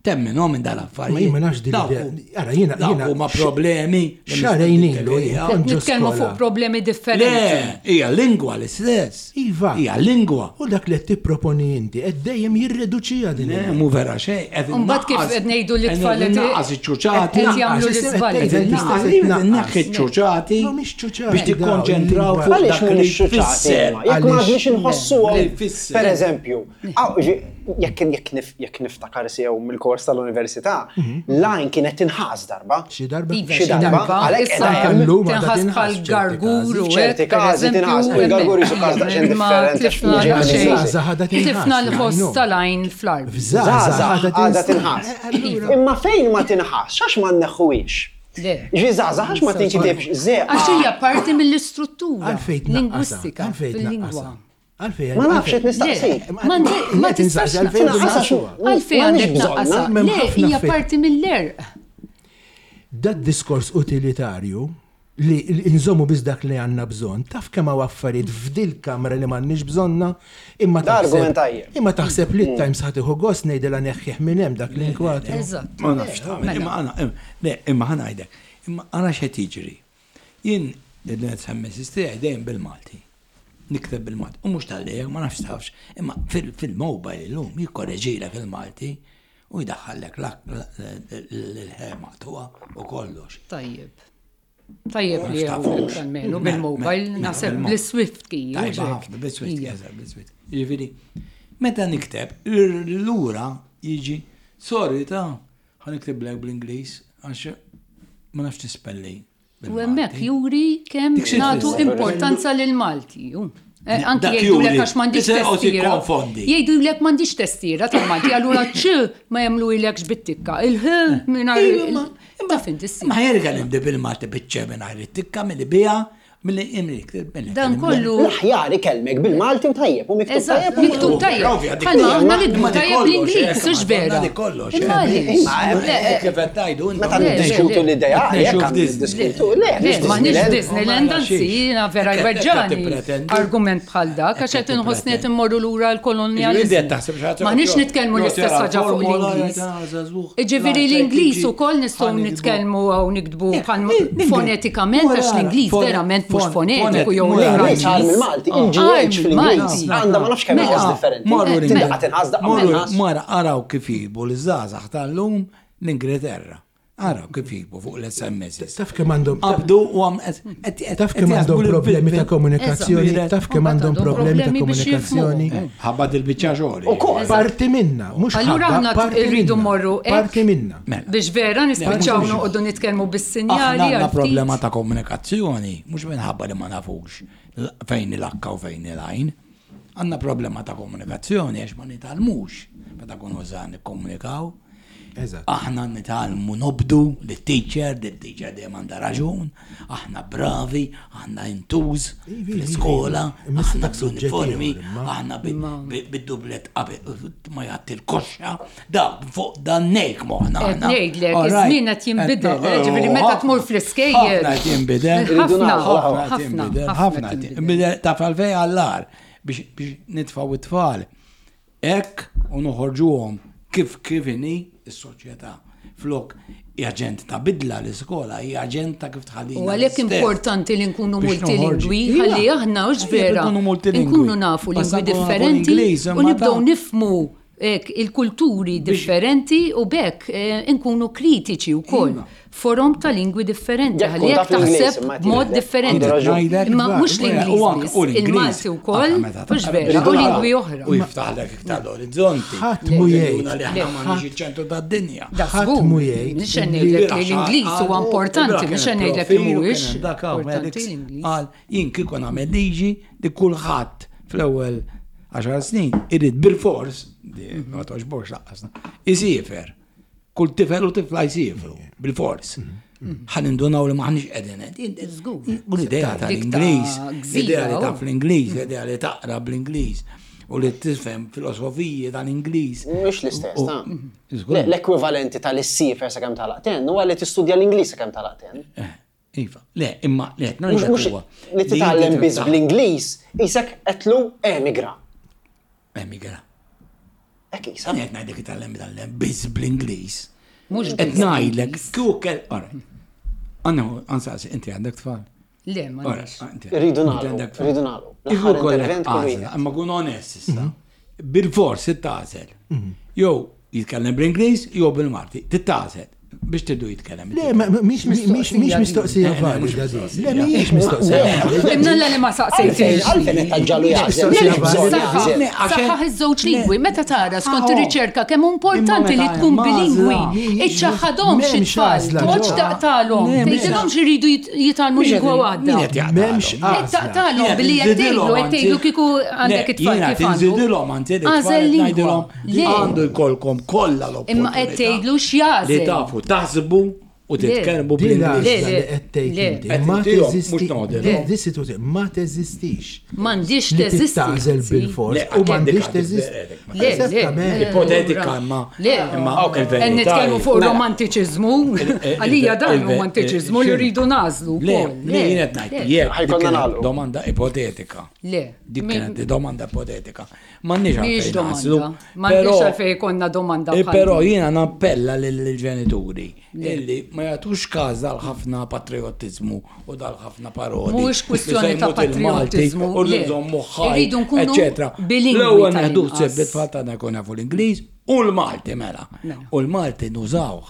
Temminhom minn dal-affarijiet. Ma jien ma nafx din l-idea. Ara jiena jiena huma problemi. Xahrejn ilu nitkellmu fuq problemi differenti. Le, hija lingwa l-istess. Iva. Hija lingwa. U dak li qed tipproponi inti qed dejjem jirreduċiha din. Le, mhu vera xejn. Imbagħad kif qed ngħidu li tfal qed naqqas iċ-ċuċati. Jagħmlu l-iżbalji. Neħħi ċ-ċuċati. Mhumiex ċuċati. Biex tikkonċentraw fuq dak li tfisser. Jekk ma għadniex inħossuhom. Per eżempju, jekk jekk niftakar sew mill-kors tal-università, l-għajn kienet tinħas darba. Xi darba. Xi darba. Għalhekk qiegħda hemm. Tinħas bħal gargur u ċerti każi tinħas. Il-gargur jisu każ daqsxejn differenti. Tlifna l-ħoss tal-għajn fl-art. Żgħażagħ għadha tinħas. Imma fejn ma tinħas, għax ma nneħħuhiex. Ġi żgħażagħ għax ma tinkitibx żeqa. Għax hija parti mill-istruttura lingwistika fil-lingwa. Ma nafx qed nistaqsik. Ma tistax għalfejn għandek naqqasha. Le, hija parti mill-erq. Dat diskors utilitarju Li nżommu biss dak li għandna bżonn. Taf kemm hawn affarijiet f'dil kamra li m'għandniex bżonna, imma Da argument taħseb tajjeb. imma taħseb li t-Times ħa tieħu gost ngħidilha neħħih minn hemm dak l-inkwatru. Eżatt. Ma nafx tagħmel, imma għana, le, imma ħa ngħidlek, imma għana x'qed jiġri. Jien l-S M S tiegħi dejjem bil-Malti. Nikteb bil-Malti. U mhux tal-lejek, ma nafx tafx, imma fil-mobile illum jikkoreġilek il-Malti u jdaħħallek l-ħema tuwa u kollox. Tajjeb. Tajjeb li għawek almenu bil-mobile, naħseb bl-Swift key. Tajba ħafna, bil-Swift key, bil-Swift. Ġifieri, meta nikteb, lura jiġi, sorry ta' ħa niktiblek bl-Ingliż, għax ma nafx nispelli. U hemmhekk juri kemm nagħtu importanza lil Malti. Eh, anki jgħidulek għax m'għandix testiera. Jgħidulek m'għandix testiera tal-Malti, allura ċ ma jagħmlu ilekx bit-tikka. Il-ħ mingħajr. Taf inti. Ma jerga nibdi bil-Malti biċ-ċ mingħajr it-tikka milli bija milli imlik. Dan kollu. L-aħjar ikellmek bil-Malti u tajjeb, u miktub tajjeb. Miktub tajjeb. Bħalma aħna nikbu tajjeb l-Ingliż, hux vera. Imma kif qed tgħidu Meta niddiskutu l-idea, jekk niddiskutu, le, m'aħniex Disneyland, anzi, jiena vera jweġġani argument bħal dak, għax qed inħossni qed immorru lura l-kolonjaliżmu. M'aħniex nitkellmu l-istess ħaġa fuq l-Ingliż. Ġifieri l-Ingliż ukoll nistgħu nitkellmu hawn niktbu fonetikament għax l-Ingliż verament mhux fonetiku jew l-Franċiż. Il-Malti, il-G H fil-Ingliż għandha ma nafx kemm inqas differenti. Tindaqqa tinqas daqqa inqas. Mara araw kif jiktbu l-żgħażagħ tal-lum l-Ingilterra. Araw kif jiktbu fuq l-S M S. Taf kemm għandhom Qabdu u għam. Taf kemm għandhom problemi ta' komunikazzjoni, taf kemm għandhom problemi ta' komunikazzjoni. Ħabba dil-biċċa xogħol. Parti minna, mhux Allura aħna rridu morru Parti minna. Biex vera nispiċċaw noqogħdu nitkellmu bis-sinjali. Għandna problema ta' komunikazzjoni, mhux minħabba li ma nafux fejn il-akka u fejn il-għajn. Għandna problema ta' komunikazzjoni għax ma nitgħallmux meta kunu żgħar nikkomunikaw. Aħna nitgħallmu nobdu lit-teacher, li teacher dejjem għandha raġun, aħna bravi, aħna intuż fl-iskola, aħna bl-uniformi, aħna bid-dublet ma jgħatti l-koxxa, da fuq dan nejk moħna. Ngħidlek, iż-żmien qed jinbidel, ġifieri meta tmur fl-iskejjel. Ħafna qed jinbidel. Ħafna, ħafna, ħafna jinbidel ta' falfej għallar biex nitfaw it-tfal. Hekk u noħorġuhom kif kif inhi is-soċjetà. Flok aġent ta' bidla l-iskola, hija aġent ta' kif tħallina. U għalhekk importanti li nkunu multilingwi, ħalli aħna hux vera nkunu nafu lingwi differenti u nibdew nifmu il-kulturi differenti u bekk eh, nkunu kritiċi wkoll. Forom ta' lingwi differenti, ħalli jekk taħseb mod differenti. Imma mhux l-Ingliż, il-Malti wkoll, mhux vera, u lingwi oħra. U jiftaħlek iktar l-orizzonti. Ħadd mu jgħid. Li aħna m'għandniex iċ-ċentru tad-dinja. Ħadd mu jgħid. Mhux ngħidlek li l-Ingliż huwa importanti, mhux ngħidlek li mhuwiex importanti l-Ingliż. Qal jien kieku nagħmel liġi li kulħadd fl-ewwel għaxar snin irid bil-fors, ma toġbokx laqqasna, isiefer. Kull tifel u tifla jsiefru, bil-fors. Ħa nindunaw li m'aħniex qegħdin. U l-idea tal-Ingliż, l-idea li taf l-Ingliż, l-idea li taqra bl-Ingliż u li tifhem filosofiji tal-Ingliż. Mhux l-istess, ta' l-ekwivalenti tal-issiefer sakemm tagħlaq ten huwa li tistudja l-Ingliż sakemm tagħlaq ten. Eh, iva, le, imma le, li titgħallem biss bl-Ingliż, isek qedlu emigra. Emigra. Hekk isa. Qed ngħidlek itgħallem itgħallem biss bl-Ingliż. Mhux qed ngħidlek kieku Għanna, għansaqsi, inti għandek tfal? Le, ma Rridu nagħlqu, rridu nagħlqu. L-aħħar intervent kull Imma kun onest issa. Bil-fors tagħżel. Jew jitkellem bl-Ingliż jew bil-Malti. Tagħżel biex tridu jitkellem. Le, mhix mistoqsija valida. Le, mhix mistoqsija. Imnalla li ma saqsejtix. Għalfejn qed taġġalu jaħseb. Saħħaħ iż-żewġ lingwi, meta tara skont ir-riċerka kemm importanti li tkun bilingwi. Iċċaħħadhomx it-tfal, toqgħodx taqtalhom, tgħidilhomx iridu jitgħallmu lingwa waħda. M'hemmx Taqtalhom billi qed tgħidlu qed tgħidlu kieku għandek it-tfal kif għandu. Nżidilhom anzi Għażel lingwa. Għandu jkollkom kollha l-opportunità. Imma qed tgħidlu x'jagħżel. Li tafu taħsbu U titkellmu Din bl-Ingliż. Le, l-għażla le, li qed tgħid le. inti Qed ma intihom, teżisti. mhux noqogħdu. Le, Di situazzjoni ma teżistix. M'għandix Li teżisti. tittagħżel anzi. bil-fors Le, u m'għandix għandek- teżisti. Le, le, Eżattament. le. Ipotetika imma. Le. Imma Ok. il-verità Qed nitkellmu hi- fuq Mela. romantiċiżmu, għalija dan il- il- romantiċiżmu li x'inhu? rridu nagħżlu Le, wkoll. le, jien qed ngħid, le, jekk Ħajkonna dik kienet nagħlqu. domanda ipotetika. Le. Dik Mi- kienet domanda ipotetika. M'għandniex Mhijiex għalfejn domanda. nagħżlu. M'għandniex però- għalfejn ikollna domanda Eh, bħal Però din. jiena nappella lill-ġenituri illi ma jagħtux każ dal-ħafna patriotizmu u dal-ħafna paroli. Mhuwiex kwistjoni Li se ta' jmut il-Malti patriotizmu, U li le. nżommu ħaj, Irridu nkunu eccetera. bilingwi L-ewwel neħdu tal-inqas. ħsieb bit-tfal tagħna jkun jafu l-Ingliż u l-Malti mela. Mela. U l-Malti nużawh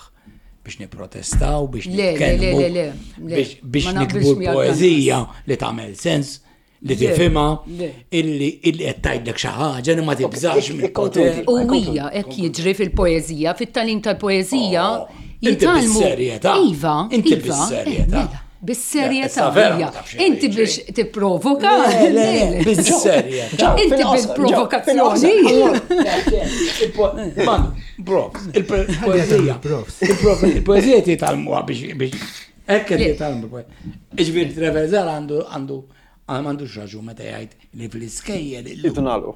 biex niprotestaw, biex Le, le, le, nitkellmu, le, le, le. biex biex Ma naqbilx nikbu miegħek l-poeżija li tagħmel sens, li Le, tifhimha, le. illi illi qed tgħidlek xi ħaġa li ma tibżax Ikkonkludi. mill-poter. U hija hekk jiġri fil-poeżija, fit-tagħlim tal-poeżija Oh, inti jitgħallmu. bis-serjetà. Iva, Inti iva, bis-serjetà. eh, mela, Bis-serjetà. Issa vera ma hija. tafx Inti jiġri. biex tipprovoka. Le, le, le, bis-serjetà. Inti Fil-qosor, bil-provokazzjoni. Man, profs, il-poezija. Profs. Il-poezija titgħallmuha biex biex hekk qed Le. jitgħallmu. Iġifieri Treverzal għandu għandu m'għandux raġun meta jgħid li fl-iskejjel illum Irridu nagħlqu.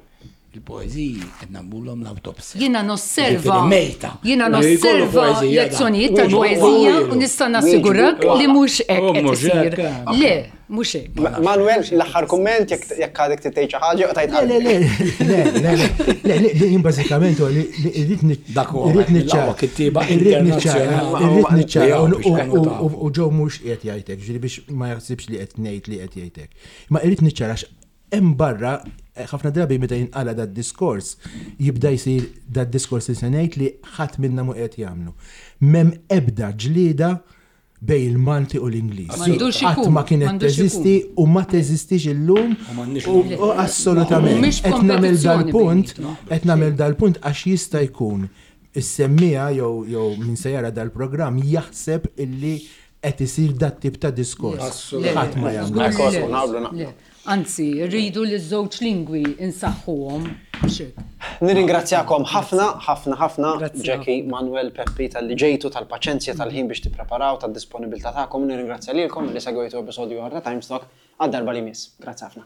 il-poeziji qed nagħmluhom l-awtopsja. Jiena nosserva. Ġifieri mejta. Jiena Li jkollu nosserva poeżija da. lezzjonijiet Wieġbu, tal-poeżija wieġbu. u nista' nassigurak li mhux hekk U qed mhux isir. hekk, eh. Le, mhux hekk. Ma- Manuel, l-aħħar kumment jekk jekk għadek tgħid xi ħaġa u tajt Le, le, le, le, le, le, le, le, jien bażikament huwa li li irrid ni- Dak huwa irrid wieħed niċċara- mill-aqwa kittieba irrid niċċara- internazzjonali. Irrid niċċara u- Biex kanu u- tafu. u- u ġew mhux qiegħed jgħidlek, ġifieri biex ma jaħsibx li qed ngħid li qed jgħidlek. Ma irrid niċċara għax hemm barra eh, ħafna drabi meta jinqala dad diskors jibda jsir dad diskors li se ngħid li ħadd minna mu qed jagħmlu. M'hemm ebda ġlieda bejn il-Malti u l-Ingliż. M'għandux Qatt ikun, ma kienet m'għandux teżisti u ma teżistix illum U m'għandniex u u assolutament. Mhumiex Qed nagħmel kompetizzjoni dal-punt, bejnietna. qed nagħmel dal-punt għax jista' jkun is-semmija jew jew min se jara dal-programm jaħseb illi qed isir dat tip ta' diskors. Assolutament. Ħadd ma jagħmlu. Le, Ekku, le, naqblu, naqblu. le. Anzi, rridu li ż-żewġ lingwi insaħħuhom. mhux hekk. Nirringrazzjakom ħafna, ħafna, ħafna, Grazzi Jackie, Manuel, Peppi, tal-li ġejtu, tal-paċenzja, tal-ħin biex tippreparaw, tal-disponibilità tagħkom. Nirringrazzja lilkom li segwejtu episodju oħra ta' Timestock għad darba li miss. Grazzi ħafna.